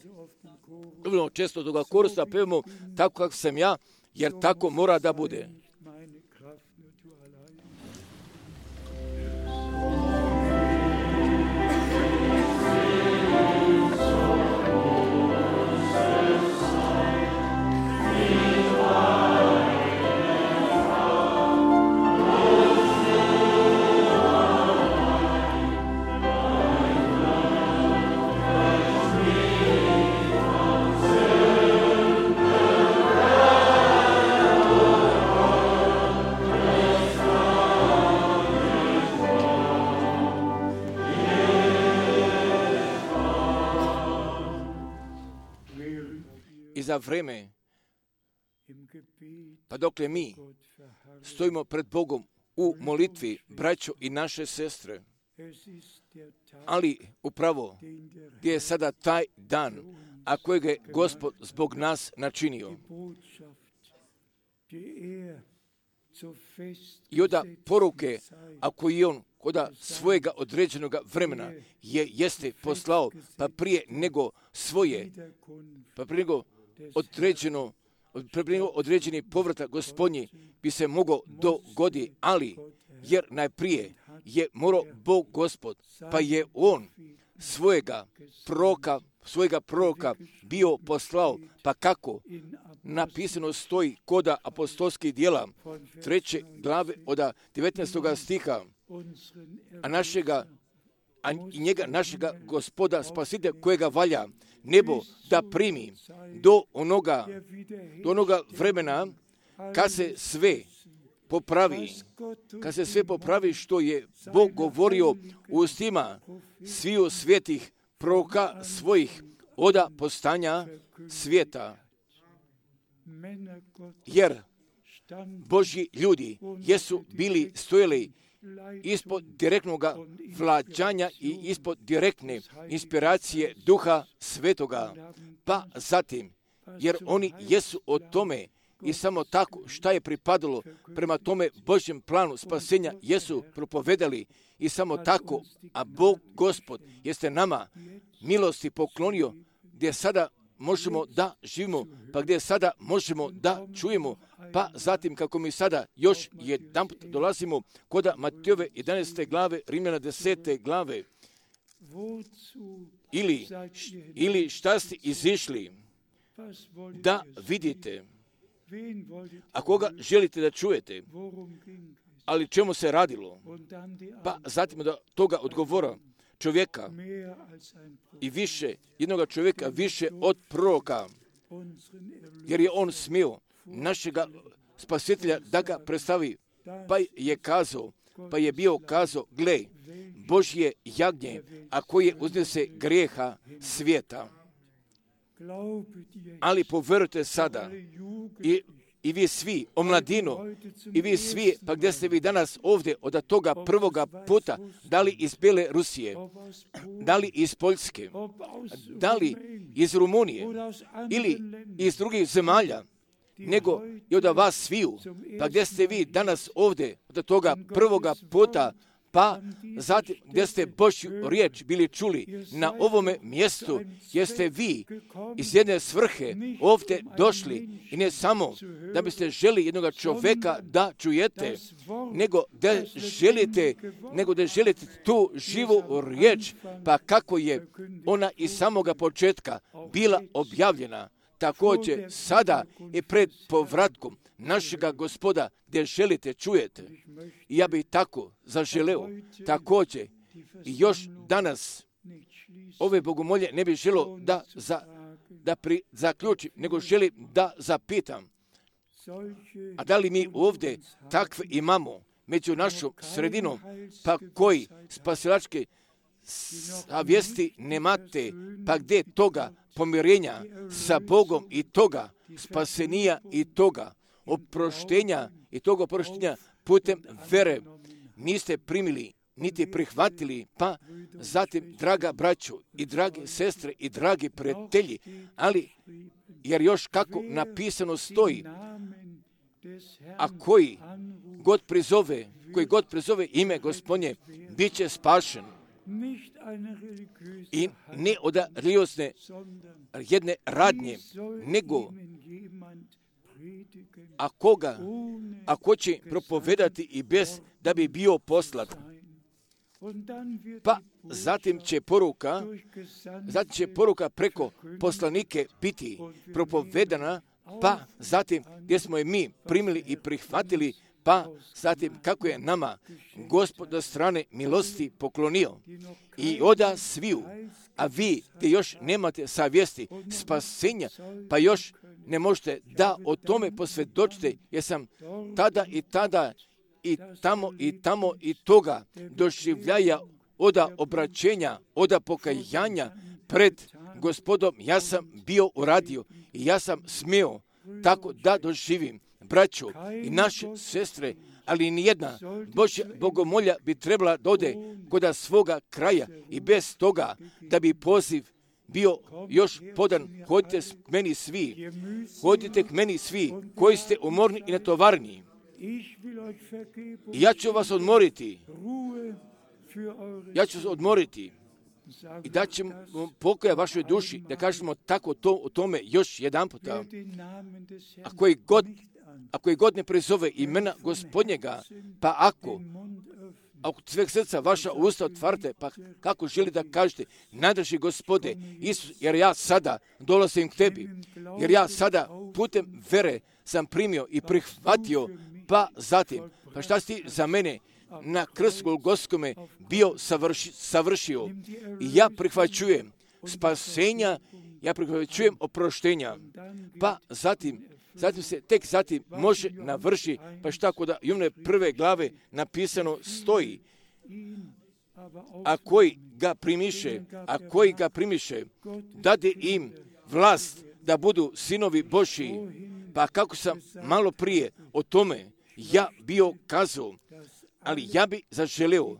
dovoljno često toga korusa, da pevamo tako kako sam ja, jer tako mora da bude. Za vreme, pa dokle mi stojimo pred Bogom u molitvi, braćo i naše sestre, ali upravo gdje je sada taj dan, a kojeg je Gospod zbog nas načinio. I oda poruke, a koji on koda svojega određenog vremena je jeste poslao, pa prije nego svoje, pa prije nego određeno, određeni povratak Gospodnji bi se mogao dogoditi, ali jer najprije je morao Bog Gospod, pa je On svojega proroka, svojega proroka bio poslao, pa kako napisano stoji koda apostolskih djela, treće glave od devetnaestoga stiha, a našega, a njega, našega Gospoda Spasitelja kojega valja nebo da primi do onoga, do onoga vremena kad se sve popravi, kad se sve popravi što je Bog govorio u ustima sviju svetih proroka svojih oda postanja svijeta. Jer Božji ljudi jesu bili stojili ispod direktnog vlađanja i ispod direktne inspiracije Duha Svetoga, pa zatim, jer oni jesu o tome i samo tako šta je pripadalo prema tome Božjem planu spasenja jesu propovedali i samo tako, a Bog Gospod jeste nama milosti poklonio gdje sada možemo da živimo, pa gdje sada možemo da čujemo, pa zatim kako mi sada još jedan put dolazimo kod Matejove jedanaeste glave, Rimljana desete glave, ili, ili šta ste izišli da vidite, a koga želite da čujete, ali čemu se radilo, pa zatim da toga odgovora čovjeka i više, jednoga čovjeka više od proroka, jer je on smio našega Spasitelja da ga predstavi, pa je kazao, pa je bio kazao, gle, Božje jagnje, a koje uznese grijeha svijeta. Ali poverujte sada, i, i vi svi, omladino, i vi svi, pa gdje ste vi danas ovdje od toga prvoga puta, da li iz Bele Rusije, da li iz Poljske, da li iz Rumunije, ili iz drugih zemalja, nego i od vas sviju, pa gdje ste vi danas ovdje od toga prvoga puta, pa zatim gdje ste Božju riječ bili čuli na ovome mjestu, jeste vi iz jedne svrhe ovdje došli i ne samo da biste želi jednog čovjeka da čujete, nego da želite, nego da želite tu živu riječ, pa kako je ona iz samoga početka bila objavljena, također sada i pred povratkom našega Gospoda gdje želite čujete. I ja bih tako zaželeo također i još danas ove bogomolje ne bih želio da, za, da pri, zaključim, nego želim da zapitam. A da li mi ovdje takve imamo među našom sredinom, pa koji spasilačke savjesti nemate, pa gdje toga pomirenja sa Bogom i toga spasenija i toga oproštenja i toga oproštenja putem vere niste primili niti prihvatili, pa zatim, draga braćo i drage sestre i dragi prijatelji, ali jer još kako napisano stoji, a koji god prizove, koji god prizove ime Gospodnje, bit će spašen. I ne od religiozne jedne radnje, nego a koga, ako će propovedati i bez da bi bio poslat. Pa zatim će poruka, zatim će poruka preko poslanike biti propovedana, pa zatim gdje smo je mi primili i prihvatili, pa zatim kako je nama Gospod od strane milosti poklonio i oda sviju, a vi gdje još nemate savjesti spasenja, pa još ne možete da o tome posvjedočite, jer sam tada i tada i tamo i tamo i toga doživljaja oda obraćenja, oda pokajanja pred Gospodom, ja sam bio uradio i ja sam smio tako da doživim. Braćo i naše sestre, ali nijedna Božja bogomolja bi trebala da ode kod svoga kraja i bez toga da bi poziv bio još podan. Hodite k meni svi, hodite k meni svi koji ste umorni i natovarni. I ja ću vas odmoriti. Ja ću vas odmoriti. I da ćemo pokoja vašoj duši, da kažemo tako to, o tome još jedan puta. A koji god, a koji god ne prizove imena Gospodnjega, pa ako, ako sveg srca vaša usta otvarate, pa kako želi da kažete, najdrži Gospode, Isus, jer ja sada dolazim k tebi, jer ja sada putem vere sam primio i prihvatio, pa zatim, pa šta si za mene na krstu Golgotskome bio savrši, savršio i ja prihvaćujem spasenja, ja prihvaćujem oproštenja, pa zatim, zatim se tek zatim može navrši, pa šta kod Jovne prve glave napisano stoji, a koji ga primiše, a koji ga primiše, dade im vlast da budu sinovi Božji, pa kako sam malo prije o tome ja bio kazao, ali ja bi zaželeo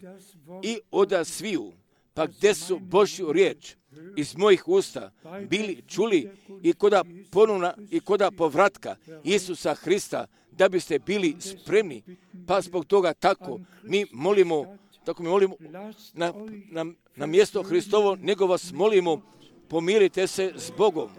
i oda sviju, pa gdje su Božju riječ iz mojih usta bili čuli i koda ponovna i koda povratka Isusa Hrista, da biste bili spremni, pa zbog toga tako mi molimo, tako mi molimo na, na, na mjesto Hristovo, nego vas molimo, pomirite se s Bogom.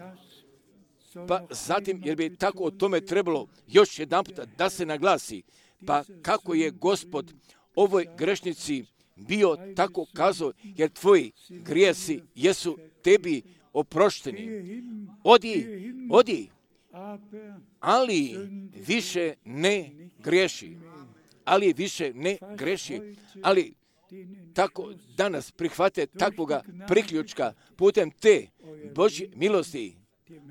Pa zatim, jer bi tako o tome trebalo još jedan puta da se naglasi, pa kako je Gospod ovoj grešnici bio tako kazao, jer tvoji grijesi jesu tebi oprošteni. Odi, odi, ali više ne griješi. Ali više ne griješi. Ali tako danas prihvate takvoga priključka putem te Božje milosti,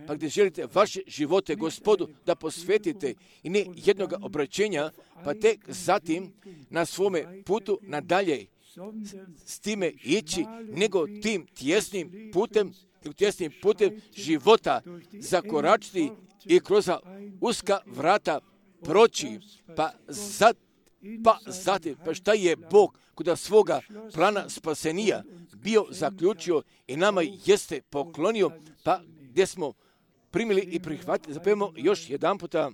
pa gdje želite vaše živote Gospodu da posvetite i ne jednoga obraćenja, pa tek zatim na svome putu nadalje s time ići, nego tim tjesnim putem, tjesnim putem života zakoračiti i kroz uska vrata proći, pa zat, pa zatim, pa šta je Bog kod svoga plana spasenija bio zaključio i nama jeste poklonio, pa gdje smo primili i prihvatili. Zapevamo još jedan puta,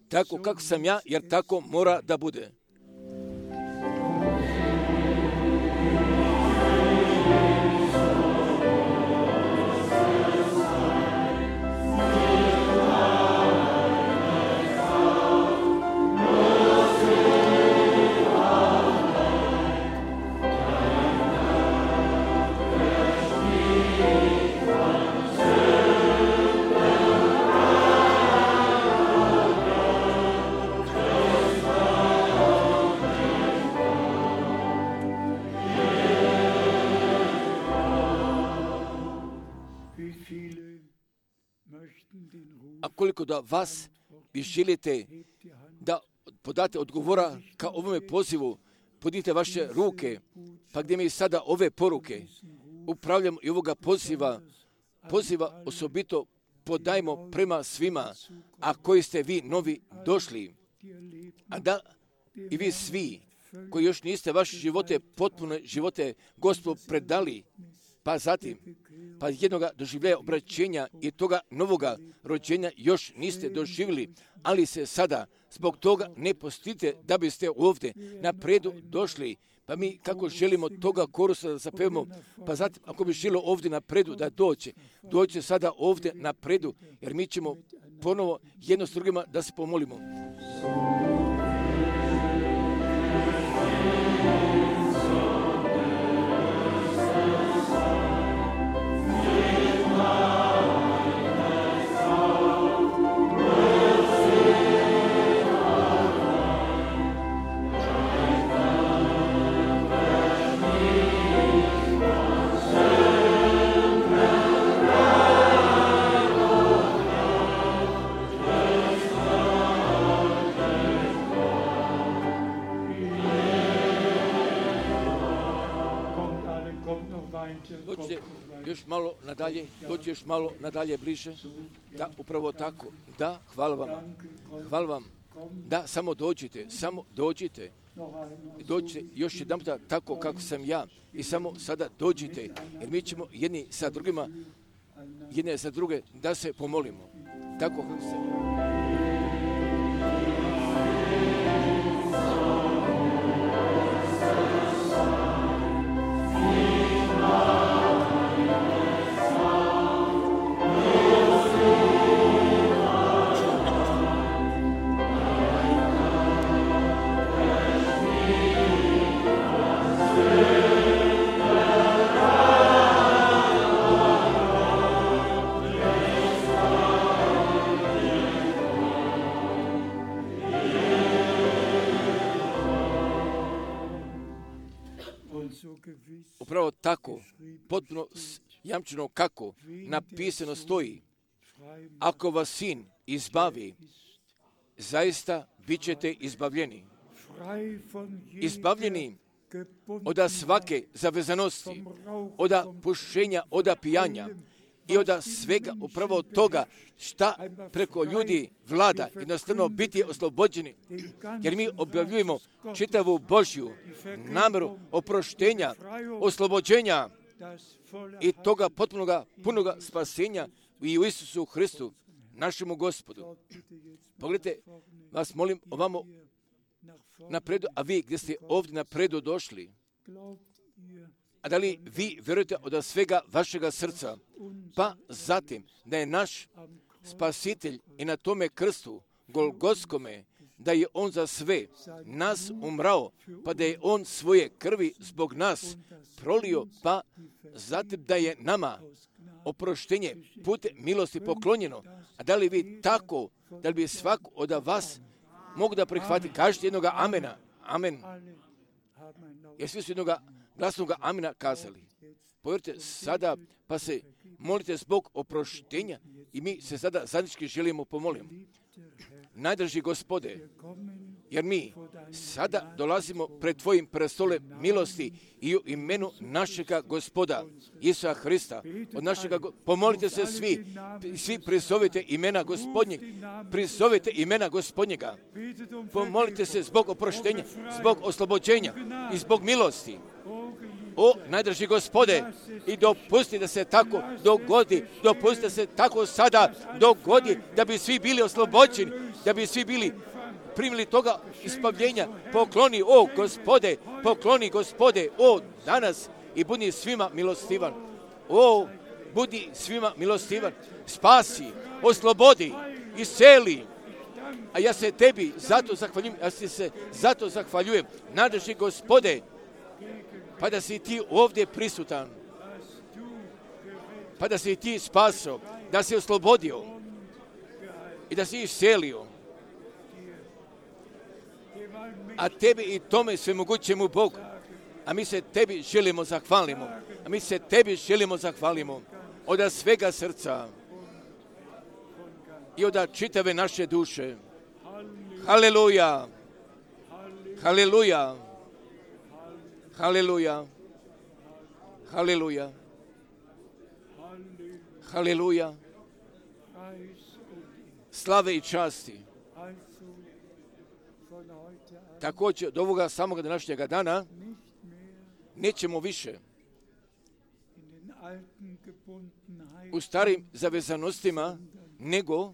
tako kako sam ja, jer tako mora da bude. A koliko da vas vi želite da podate odgovora ka ovome pozivu, podite vaše ruke, pa gdje mi sada ove poruke upravljamo i ovoga poziva, poziva osobito podajmo prema svima, a koji ste vi novi došli, a da i vi svi koji još niste vaše živote, potpune živote Gospodu predali, pa zatim, pa jednoga doživljaja obraćenja i toga novoga rođenja još niste doživjeli, ali se sada zbog toga ne postite da biste ovdje napredu došli. Pa mi kako želimo toga korusa da zapevamo, pa zatim ako bi želo ovdje napredu da doće, doće sada ovdje napredu, jer mi ćemo ponovo jedno s drugima da se pomolimo. Dođite još malo nadalje, dođite još malo nadalje bliže. Da, upravo tako. Da, hvala vam. Hvala vam. Da, samo dođite, samo dođite. Dođite još jedan puta tako kako sam ja. I samo sada dođite, jer mi ćemo jedni sa drugima, jedne za druge da se pomolimo. Tako kako sam ja. Upravo tako, potpuno jamčeno kako napisano stoji, ako vas sin izbavi, zaista bit ćete izbavljeni. Izbavljeni od svake zavezanosti, od pušenja, od pijanja i od svega upravo toga šta preko ljudi vlada, jednostavno biti oslobođeni, jer mi objavljujemo čitavu Božju namjeru oproštenja, oslobođenja i toga potpunoga, punoga spasenja i u Isusu Hristu, našemu Gospodu. Pogledajte, vas molim ovamo napredu, a vi gdje ste ovdje napredu došli, a da li vi vjerujete od svega vašega srca, pa zatim da je naš spasitelj i na tome krstu Golgotskome, da je on za sve nas umrao, pa da je on svoje krvi zbog nas prolio, pa zatim da je nama oproštenje putem milosti poklonjeno. A da li vi tako, da li bi svak od vas mogu da prihvati, kažete jednoga amena, amen. Jer svi su jednoga glasnoga amena kazali. Povjerite sada, pa se molite zbog oproštenja i mi se sada zajednički želimo pomoliti. Najdraži Gospode, jer mi sada dolazimo pred Tvojim prestolem milosti i u imenu našega Gospoda Isusa Hrista. Od našega, pomolite se svi, svi prizovite imena Gospodnjeg, prizovite imena Gospodnjega. Pomolite se zbog oproštenja, zbog oslobođenja i zbog milosti. O, najdraži Gospode, i dopusti da se tako dogodi, dopusti da se tako sada dogodi, da bi svi bili oslobođeni, da bi svi bili primili toga ispavljenja. Pokloni, o Gospode, pokloni Gospode, o danas, i budi svima milostivan. O, budi svima milostivan. Spasi, oslobodi, isceli. A ja se Tebi zato zahvaljujem, ja se zato zahvaljujem, najdraži Gospode, pa da si Ti ovdje prisutan, pa da si Ti spasao, da si oslobodio i da si iscelio. A Tebi i tome svemogućemu Bogu, a mi se Tebi želimo zahvalimo, a mi se Tebi želimo zahvalimo od svega srca i od čitave naše duše. Haleluja, haleluja, haleluja, haleluja, haleluja, slave i časti. Također, od ovoga samoga današnjega dana nećemo više u starim zavezanostima, nego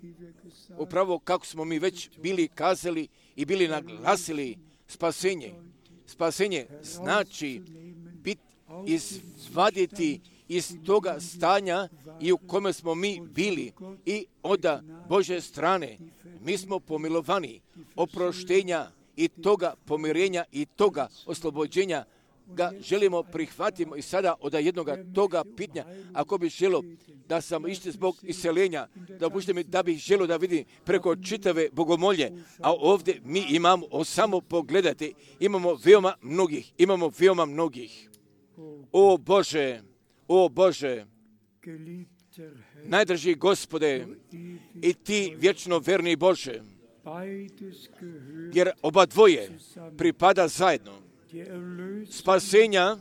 upravo kako smo mi već bili kazali i bili naglasili spasenje. Spasenje znači bit, izvaditi iz toga stanja i u kome smo mi bili i od Božje strane. Mi smo pomilovani oproštenja i toga pomirenja i toga oslobođenja ga želimo prihvatimo i sada od jednoga toga pitanja, ako bi želo da sam išli zbog iseljenja, da pušte mi da bih želo da vidim preko čitave bogomolje, a ovdje mi imamo, samo pogledajte, imamo veoma mnogih, imamo veoma mnogih. O Bože, o Bože, najdraži Gospode, i Ti vječno verni Bože, jer oba dvoje pripada zajedno. Spasenja,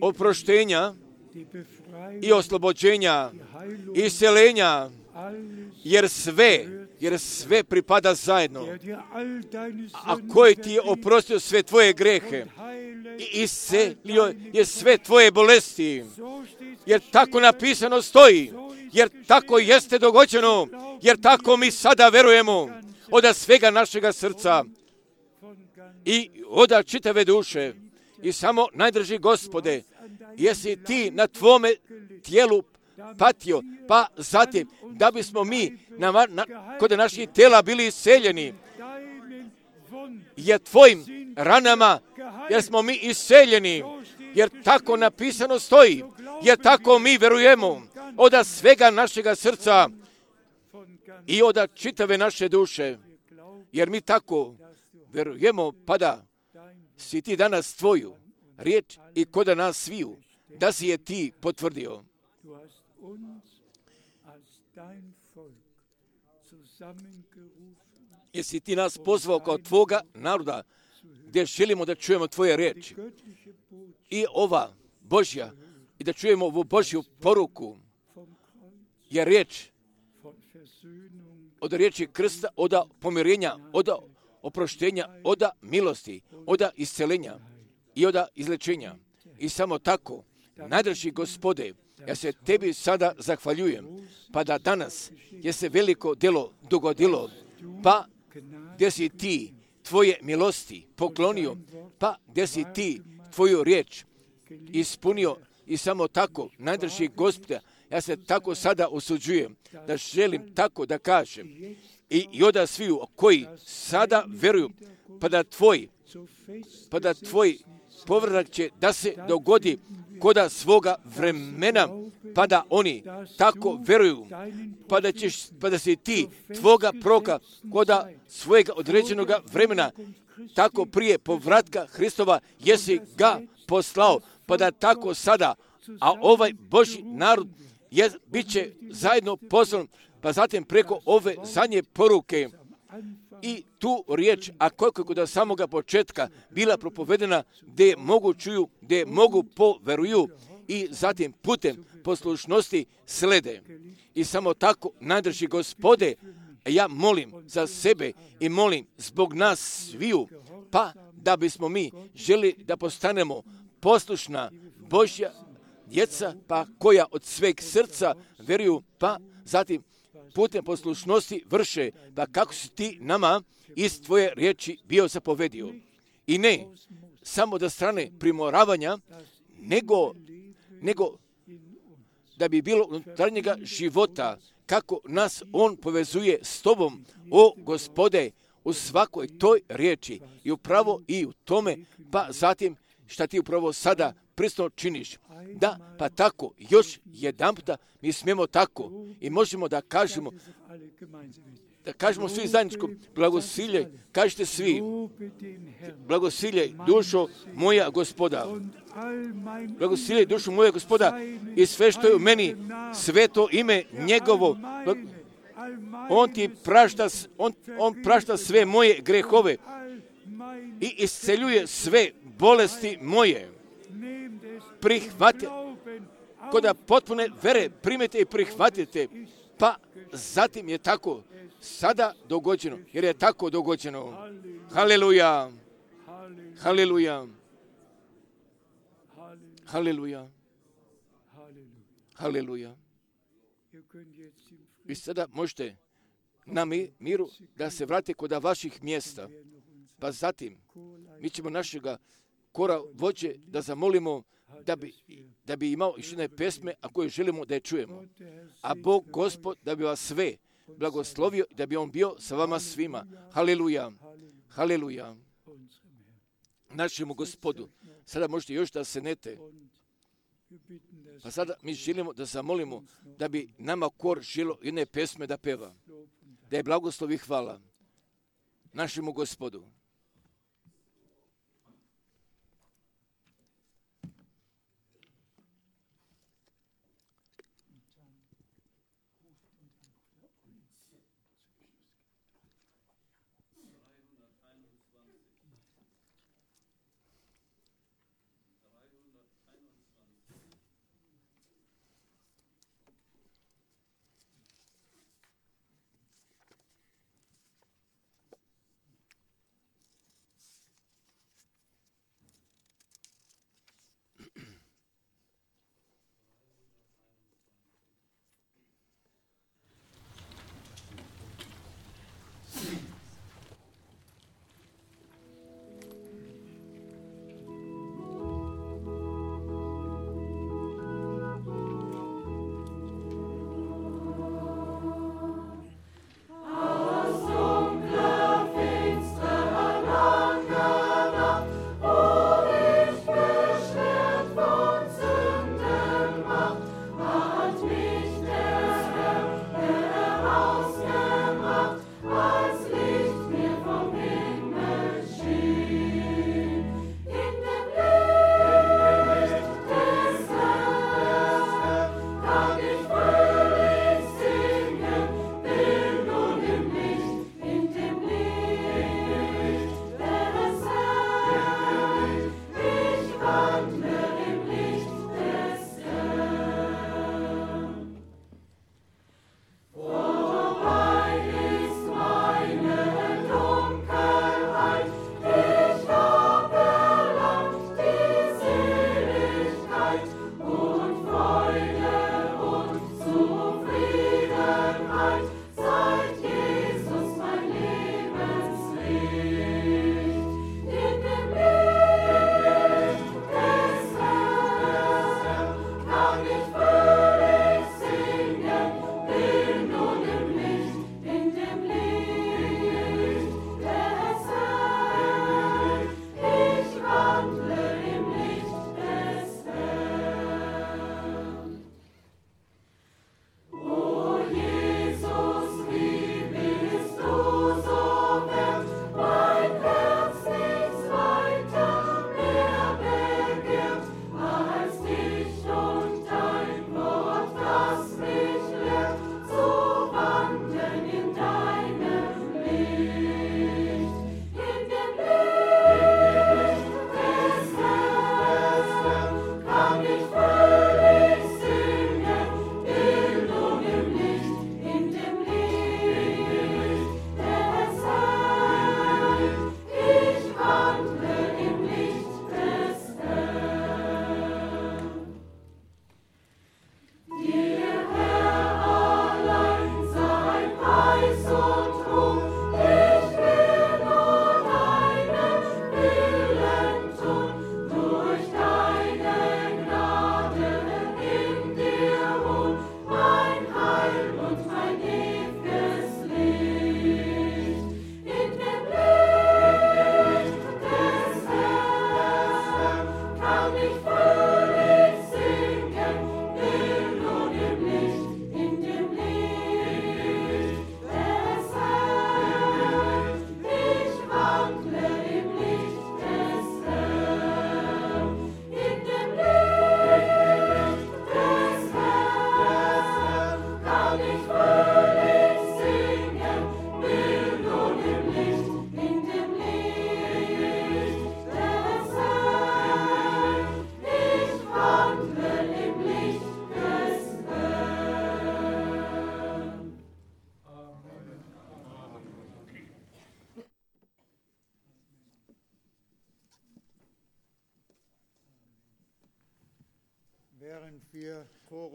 oproštenja i oslobođenja, isceljenja, jer sve, jer sve pripada zajedno. A koji Ti je oprostio sve tvoje grehe i iscelio je sve tvoje bolesti, jer tako napisano stoji, jer tako jeste dogođeno, jer tako mi sada verujemo od svega našega srca i od čitave duše. I samo, najdraži Gospode, jesi Ti na Tvome tijelu patio, pa zatim da bismo mi na, na, kod naših tijela bili iseljeni, jer Tvojim ranama, jer smo mi iseljeni, jer tako napisano stoji, jer tako mi verujemo od svega našega srca i od čitave naše duše, jer mi tako verujemo, pa da si Ti danas Tvoju riječ i kod nas sviju, da si je Ti potvrdio. Jesi Ti nas pozvao kao Tvoga naroda, gdje želimo da čujemo Tvoje riječi. I ova Božja, i da čujemo ovu Božju poruku, je riječ od riječi krsta, od pomirenja, od oproštenja, od milosti, od isceljenja i od izlečenja. I samo tako, najdraži Gospode, ja se Tebi sada zahvaljujem, pa da danas je se veliko delo dogodilo, pa gdje si Ti Tvoje milosti poklonio, pa gdje si Ti Tvoju riječ ispunio. I samo tako, najdraži Gospode, ja se tako sada osuđujem, da želim tako da kažem i, i od sviju koji sada veruju, pa da Tvoj, pa da Tvoj povratak će da se dogodi koda svoga vremena, pa da oni tako veruju, pa da, ćeš, pa da si Ti Tvoga proka koda svojega određenog vremena, tako prije povratka Hristova jesi ga poslao, pa da tako sada, a ovaj Božji narod je, bit će zajedno poslan, pa zatim preko ove zadnje poruke, i tu riječ, a koliko kod samoga početka bila propovedena, gdje mogu čuju, gdje mogu poveruju i zatim putem poslušnosti slede. I samo tako, najdrži Gospode, ja molim za sebe i molim zbog nas sviju, pa da bismo mi želi da postanemo poslušna Božja djeca, pa koja od sveg srca veruju, pa zatim putem poslušnosti vrše, pa kako si ti nama iz tvoje riječi bio zapovedio. I ne samo da strane primoravanja, nego, nego da bi bilo unutarnjega života, kako nas on povezuje s tobom, o Gospode, u svakoj toj riječi i upravo i u tome, pa zatim šta ti upravo sada prisno činiš. Da, pa tako, još jedan puta mi smijemo tako i možemo da kažemo, da kažemo svi zajedničko, blagosiljaj, kažete svi, blagosiljaj dušo moja Gospoda, blagosiljaj dušo moja Gospoda i sve što je u meni, sveto ime njegovo, on ti prašta, on, on prašta sve moje grehove i isceljuje sve bolesti moje. Prihvatite, kod potpune vere primete i prihvatite, pa zatim je tako sada dogođeno, jer je tako dogođeno. Haleluja, haleluja, haleluja, haleluja. Vi sada možete na miru da se vrate kod vaših mjesta, pa zatim mi ćemo našega kora vođe da zamolimo da bi, da bi imao još jedne pesme, a koje želimo da je čujemo. A Bog Gospod da bi vas sve blagoslovio, da bi on bio sa vama svima. Haleluja, haleluja. Našemu Gospodu. Sada možete još da se nete. Pa sada mi želimo da zamolimo da bi nama kor želo jedne pesme da peva. Da je blagoslovi hvala našemu Gospodu.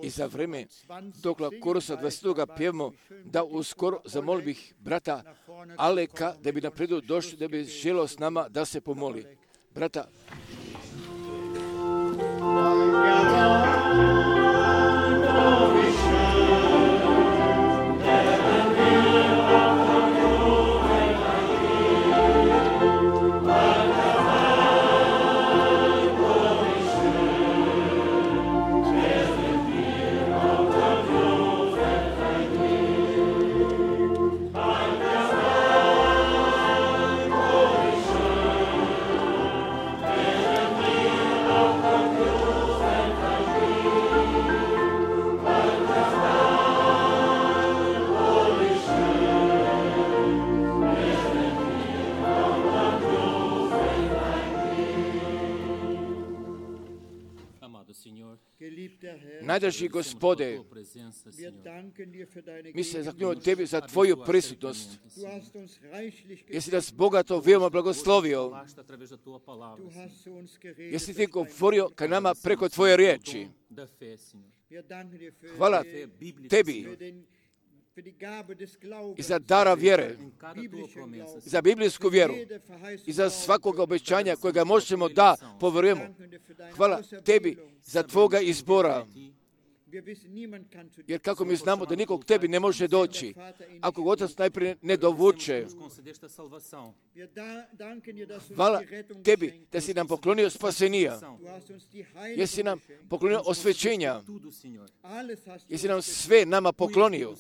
I za vreme dok korusa dvadeset pjevamo, da uskoro zamolio bih brata Aleka da bi napredu došli, da bi želio s nama da se pomoli. Brata, najdraži Gospode, mi se zahvaljujemo Tebi za Tvoju prisutnost, jesi nas bogato veoma blagoslovio, jesi Ti govorio ka nama preko Tvoje riječi. Hvala Tebi i za dara vjere, i za biblijsku vjeru, i za svakog obećanja kojega možemo da povjerujemo. Hvala Tebi za Tvoga izbora, jer kako mi znamo da nikog Tebi ne može doći, ako ga Otac najprije ne dovuče. Hvala Tebi da si nam poklonio spasenija, jesi nam poklonio osvećenja, jesi nam sve nama poklonio.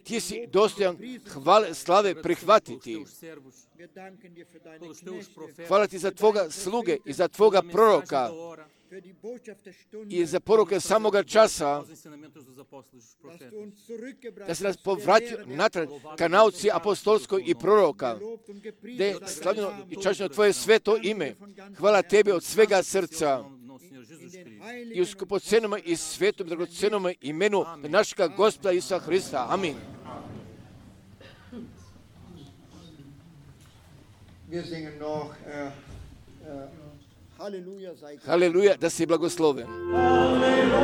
Ti si dostojan hvale, slave prihvatiti. Hvala Ti za Tvoga sluge i za Tvoga proroka i za poruke samoga časa, da se nas povratio natrag ka nauci apostolskoj i proroka, da je slavljeno i čašćeno Tvoje sveto ime. Hvala Tebi od svega srca i u skupocenome i svetom dragocenome imenu našega Gospoda Isusa Hrista. Amin. Haleluja, da si blagosloven. Haleluja,